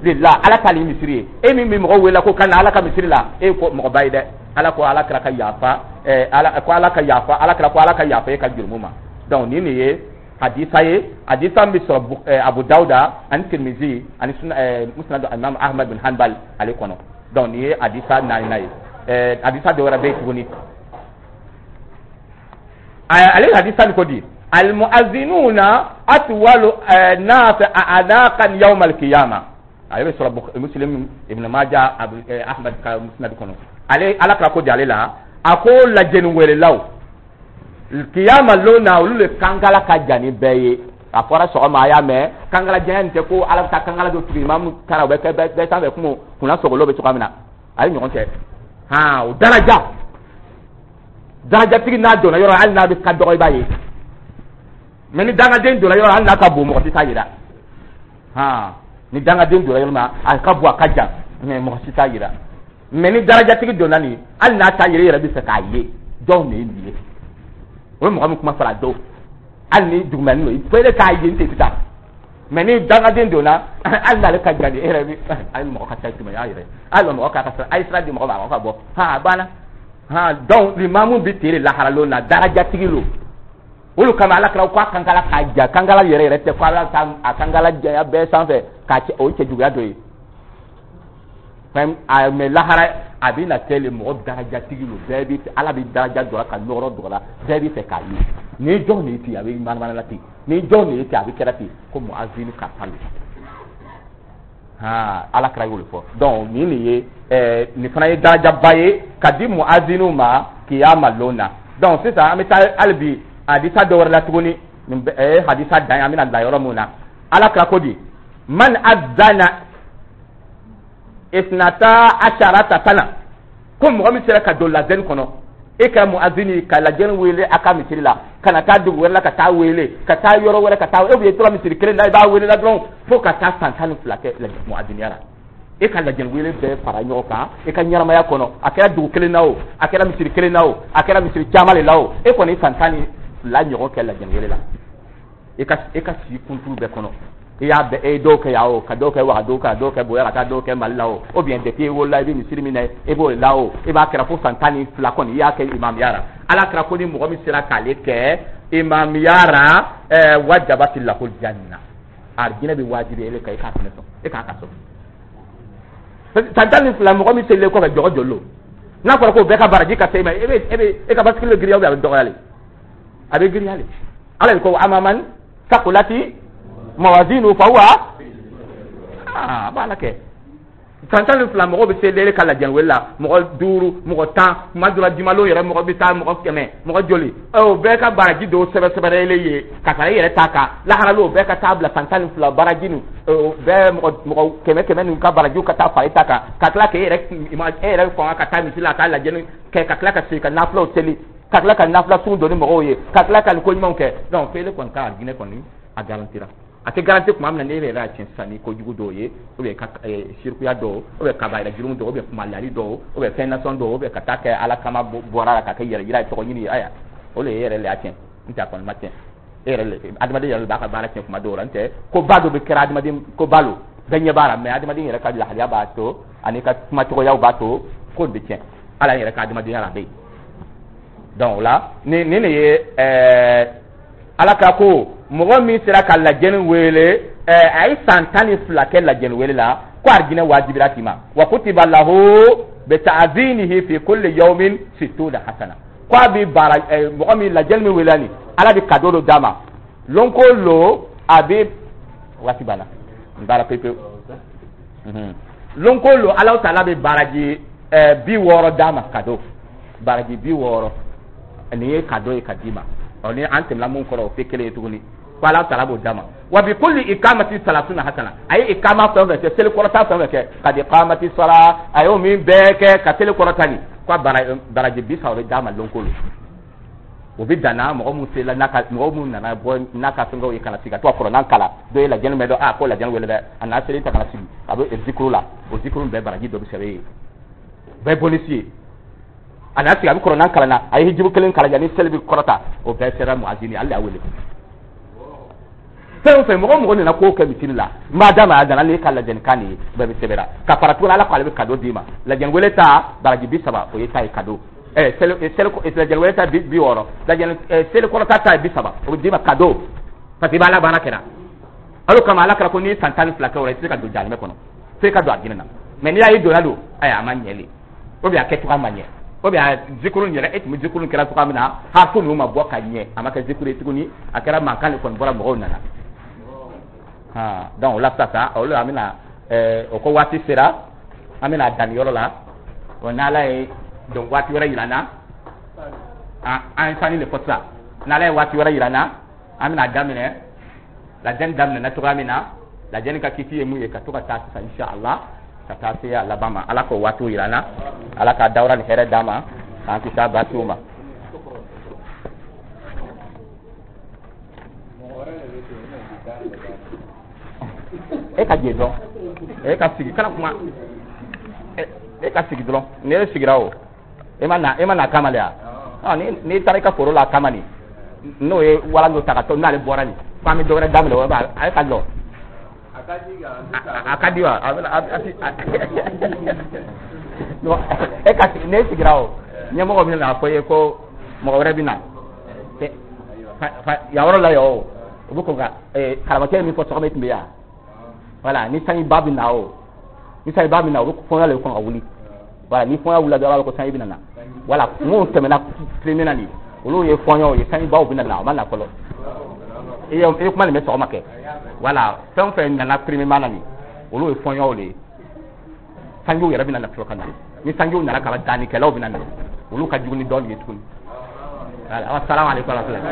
lillah, Ala t'ale misiri ye. E min bɛ mɔgɔw wele ko ka na Ala ka misiri la, e ko mɔgɔba ye dɛ. Ala ko Ala kira ka yafa, ɛɛ Ala ko Ala ka yafa, Ala kira ko Ala ka yafa e ka jurumu ma. Donc nin de ye hadisa ye, hadisa min bɛ sɔrɔ Abu Dawuda ani Tirimizi ani Musnad Imam Ahmad bin Hanbal ale kɔnɔ. Donc nin ye hadisa naaninan ye. ɛɛ hadisa dɔ wɛrɛ bɛ yen tuguni, ale hadisa nin ko di? Almuazinuna atwalu nas a'naqan yawm alqiyama. Ale bɛ sɔrɔ Muslim, Ibn Majah, Abu Ahmad ka Musnad kɔnɔ. Ale, Ala kira ko di ale la, a ko lajɛni wɛrɛlaw, kiyama lon na, olu le kankala ka jan ni bɛɛ ye. A fɔra sɔgɔma, a y'a mɛn, kankala janya nin tɛ ko Ala bɛ taa kankala dɔ tugu imamu taara, o bɛ kɛ bɛɛ sanfɛ kungo kunna sogolo bɛ cogoya min na, a ye ɲɔgɔn cɛ han. O daraja, darajatigi n'a donna yɔrɔ, hali n'a bɛ ka dɔgɔ, i b'a ye. Mais ni dangaden donna yɔrɔ, hali n'a ka bon, mɔgɔ si t'a yira. Han, ni dangaden donna yɔrɔ min, a ka bon, a ka jan, mais mɔgɔ si t'a yira. Mais ni darajatigi donna nin, hali n'a t'a yira, i yɛrɛ bɛ fɛ k'a ye jɔn de ye nin ye. O ye mɔgɔ min kuma fɔra a dɔw, hali ni dugumɛnin don, fo e k'a ye n tɛ sisan. Mais ni dangaden donna, hali n'ale ka jan, e yɛrɛ bɛ, hali mɔgɔ ka ca tuma y'a yɛrɛ, hali mɔgɔ k'a ka sira, a ye sira di mɔgɔ ma, a ka bɔ han, a banna han. Donc limamu bɛ tere laharalon na, darajatigi lo. Olu kama Ala kira ko a kankala k'a ja, kankala yɛrɛ yɛrɛ tɛ ko Ala ta a kankala janya bɛɛ sanfɛ k'a cɛ, o ye cɛjuguya dɔ ye. Mais lahara a bɛ na kɛ le mɔgɔ darajatigi lo, bɛɛ bɛ, Ala bɛ daraja dɔ la ka nɔrɔ dɔ la, bɛɛ bɛ fɛ k'a ye ni jɔn de ye ten, a bɛ manamana la ten, ni jɔn de ye ten, a bɛ kɛra ten ko muazini karisa lo han. Ala kira y'o de fɔ. Donc nin de ye ɛɛ nin fana ye darajaba ye ka di muaziniw ma kiyama lon na. Donc sisan an bɛ taa hali bi hadisa dɔ wɛrɛ la tuguni. Nin bɛ hadisa dan ye, an bɛna bila yɔrɔ mun na. Ala kira ko di? Man azana isnata asharata sana, ko mɔgɔ min sera ka don lajɛni kɔnɔ, e ka muazini ka lajɛni wele a ka misiri la, ka na taa dugu wɛrɛ la ka taa wele, ka taa yɔrɔ wɛrɛ ka taa, e bɛ tora misiri kelen na, i b'a wele la dɔrɔn fo ka taa san tan ni fila kɛ muaziniya la. E ka lajɛni wele bɛɛ fara ɲɔgɔn kan e ka ɲɛnamaya kɔnɔ, a kɛra dugu kelen na o, a kɛra misiri kelen na o, a kɛra misiri caman de la o, e kɔni san tan ni fila ɲɔgɔn kɛ lajɛni wele la e ka e ka si kunturu bɛɛ kɔnɔ. I y'a bɛɛ, e ye dɔw kɛ yan o, ka dɔw kɛ Wagadugu, ka dɔw kɛ Boya, ka taa dɔw kɛ Mali la o, ou bien depuis i wolola i bɛ misiri min na, i b'o la o, i b'a kɛra fo san tan ni fila kɔni i y'a kɛ imamuya la. Ala kɛra ko ni mɔgɔ min sera k'ale kɛ imamuya la, ɛɛ wajabati lahul janna, arijinɛ bɛ wajibi e kan, i k'a fɛnɛ sɔn, e k'a ka sɔn. San tan ni fila, mɔgɔ min selilen kɔfɛ jɔgɔ joli lo, n'a fɔra ko bɛɛ ka baraji ka se e ma, e bɛ e bɛ e ka basikili bɛ girinya ou bien a bɛ dɔgɔya le? A bɛ girinya le. Ala de ko amaman sakulati mawazinu fahuwa, aa, a b'a la kɛ san tan ni fila, mɔgɔ bɛ se lere ka lajɛli wele la, mɔgɔ duuru, mɔgɔ tan, kuma dɔ la jumalo yɛrɛ mɔgɔ bɛ taa mɔgɔ kɛmɛ, mɔgɔ joli, o bɛɛ ka baraji dɔw sɛbɛn sɛbɛn ye ka fara i yɛrɛ ta kan. Lahara o bɛɛ ka taa bila san tan ni fila baraji nin bɛɛ, mɔgɔ mɔgɔ kɛmɛ kɛmɛ nin ka barajiw ka taa fara i ta kan, ka tila k'e yɛrɛ e yɛrɛ fanga ka taa misi la ka taa lajɛli kɛ, ka tila ka segin ka nafilaw seli, ka tila ka nafila sun don ni mɔgɔw ye, ka tila ka nin ko ɲumanw kɛ. Donc f'ele kɔni ka arijinɛ kɔni a garantira. A tɛ garanti tuma min na, n'e yɛrɛ y'a tiɲɛ sisan ni kojugu dɔw ye, ou bien ka sirikuya dɔw, ou bien kabayira jurumu dɔw, ou bien kumalali dɔw, ou bien fɛn nasɔn dɔw, ou bien ka taa kɛ Ala kama bɔra la ka kɛ yɛrɛ yira ye, tɔgɔ ɲini ye, ayiwa, o de ye e yɛrɛ le y'a tiɲɛ. N tɛ a kɔni ma tiɲɛ, e yɛrɛ le, adamaden yɛrɛ b'a ka baara tiɲɛ kuma dɔw la. N tɛ ko ba dɔ bɛ kɛra adamaden ko ba lo, bɛɛ ɲɛ b'a la, mais adamaden yɛrɛ ka lahaliya b'a to ani ka kumacogoyaw b'a to ko nin bɛ tiɲɛ. Ala yɛrɛ ka adamadenya la a bɛ yen. Donc o la ni nin de ye ɛɛ Ala ka ko mɔgɔ min sera ka lajɛni wele, ɛɛ a ye san tan ni fila kɛ lajɛni wele la, ko arijinɛ wajibira k'i ma. Wa kutiba lahu Bi ta'zinihi fi kulli yawmin sittuna hasana. Ko a bɛ baara mɔgɔ min lajɛli min wele nin, Ala bɛ cadeau dɔ d'a ma lon ko lo a bɛ waati banna n baara pewu pewu. Lon ko lo Ala taala bɛ baraji bi wɔɔrɔ d'a ma cadeau, baraji bi wɔɔrɔ nin ye cadeau ye ka d'i ma. Ɔ ni an tɛmɛna mun kɔrɔ o tɛ kelen ye tuguni. Ko Ala taala b'o d'a ma. Wa bi kulli ikamati salasuna hasana, a ye ikama fɛn o fɛn kɛ, seli kɔrɔta fɛn o fɛn kɛ, kadi kamati sala, a y'o min bɛɛ kɛ ka seli kɔrɔta nin, ko baraji bi saba bɛ d'a ma lon ko lo. O bɛ dan na mɔgɔ mun sela n'a ka mɔgɔ mun nana bɔ n'a ka fɛngɛw ye ka na sigi ka to ka kɔrɔnan kalan, dɔ ye lajɛli mɛn dɔn, a ko lajɛli wele dɛ, a n'a seli ta ka na sigi a bɛ zikuru la, o zikuru bɛɛ baraji dɔ bɛ sɛbɛn ye, bɛɛ bonus ye. A n'a sigi a bɛ kɔrɔnan kalan na, a ye hijibu kelen kalan yanni seli bɛ kɔrɔta, o bɛɛ sera muazini, ale y'a wele. Fɛn o fɛn mɔgɔ mɔgɔ nana ko kɛ misiri la, n b'a d'a ma a nana n'e ka lajɛlikan nin ye, bɛɛ bɛ sɛbɛnna ka fara tuguni Ala ko ale bɛ cadeau d'i ma. Lajɛli wele ta baraji bi saba o ye ta ye cadeau. Eh, seli seli lajɛli wele ta bi wɔɔrɔ, lajɛli seli kɔrɔta ta ye bi saba, o bɛ d'i ma cadeau parce que i b'a la baara kɛra. Al'o kama Ala kɛra ko n'i ye san tan ni fila kɛ o la i tɛ se ka don jahanamɛ kɔnɔ, f'e ka don alijinɛ na. Mais n'i y'a ye donna don, ayi a ma ɲɛ le, ou bien a kɛcogoya ma ɲɛ, ou bien a zikuru yɛrɛ e tun bɛ zikuru kɛra cogoya min na, harifu ninnu ma bɔ ka ɲɛ, a ma kɛ zikuru ye tuguni, a kɛra mankan de kɔni bɔra mɔgɔw nana. Ah, donc o la sisan o la an bɛna ɛɛ o ko waati sera, an bɛna dan nin yɔrɔ la. Wa n'Ala ye donc waati wɛrɛ yira n na, an ye sanni de fɔ sisan, n'Ala ye waati wɛrɛ yira n na, an bɛna daminɛ lajɛni daminɛna cogoya min na, lajɛni ka kiti ye mun ye, ka to ka taa sisan inshallah ka taa se a laban ma. Ala k'o waatiw yira n na, Ala ka dawura ni hɛrɛ d'an ma, k'an kisi a baasiw ma. E ka jɛ dɔrɔn, e ka sigi kana kuma, e ka sigi dɔrɔn. Ni e sigira o e ma na, e ma na kama de ya. Ɔ ni n'i taara i ka foro la kama nin, n'o ye walan dɔ ta ka to n'ale bɔra nin, f'an bɛ dɔ wɛrɛ daminɛ, o b'a a ye ka lɔ. A ka di wa? A bɛ a e ka sigi, n'e sigira o ɲɛmɔgɔ bɛ na fɔ i ye ko mɔgɔ wɛrɛ bɛ na yan yɔrɔ la yan o, o bɛ kɔn ka karamɔgɔkɛ ye min fɔ sɔgɔma e tun bɛ yan. Voilà, ni sanjiba bɛ na o, ni sanjiba bɛ na o bɛ fɔɲɔ de kɔn ka wuli. Voilà, ni fɔɲɔ wulila dɔrɔn a b'a fɔ ko sanji bɛ na. Voilà, minnu tɛmɛna premier na nin, olu ye fɔɲɔw ye, sanjibaw bɛ na, o ma na fɔlɔ. I ye i ye kuma nin bɛ sɔgɔma kɛ. Voilà, fɛn o fɛn nana premier na nin, olu ye fɔɲɔw de ye. Sanjiw yɛrɛ bɛ na fɔlɔ ka na. Ni sanjiw nana ka ban, dannikɛlaw bɛ na, olu ka jugu ni dɔɔnin ye tuguni. Voilà, assalamu alaikum wa rahmatullahi.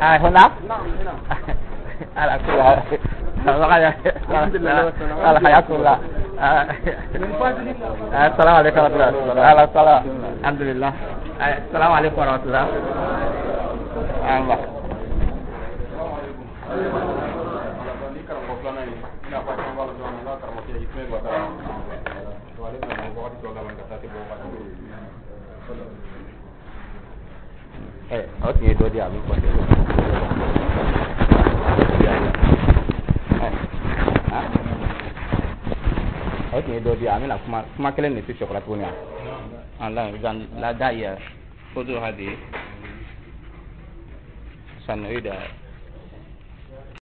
آه هنا؟ نعم هنا. على كل حال حياكم الله. السلام عليكم ورحمة الله. أهلا وسهلا. الحمد لله. السلام عليكم ورحمة الله. الله. Eh, o tun ye dɔ di a bɛ kɔfɛ. O tun ye dɔ di, a bɛna kuma kuma kelen de tɛ sɔkɔla tuguni wa? Allah idan la da'iya خذوا هذه سنعيد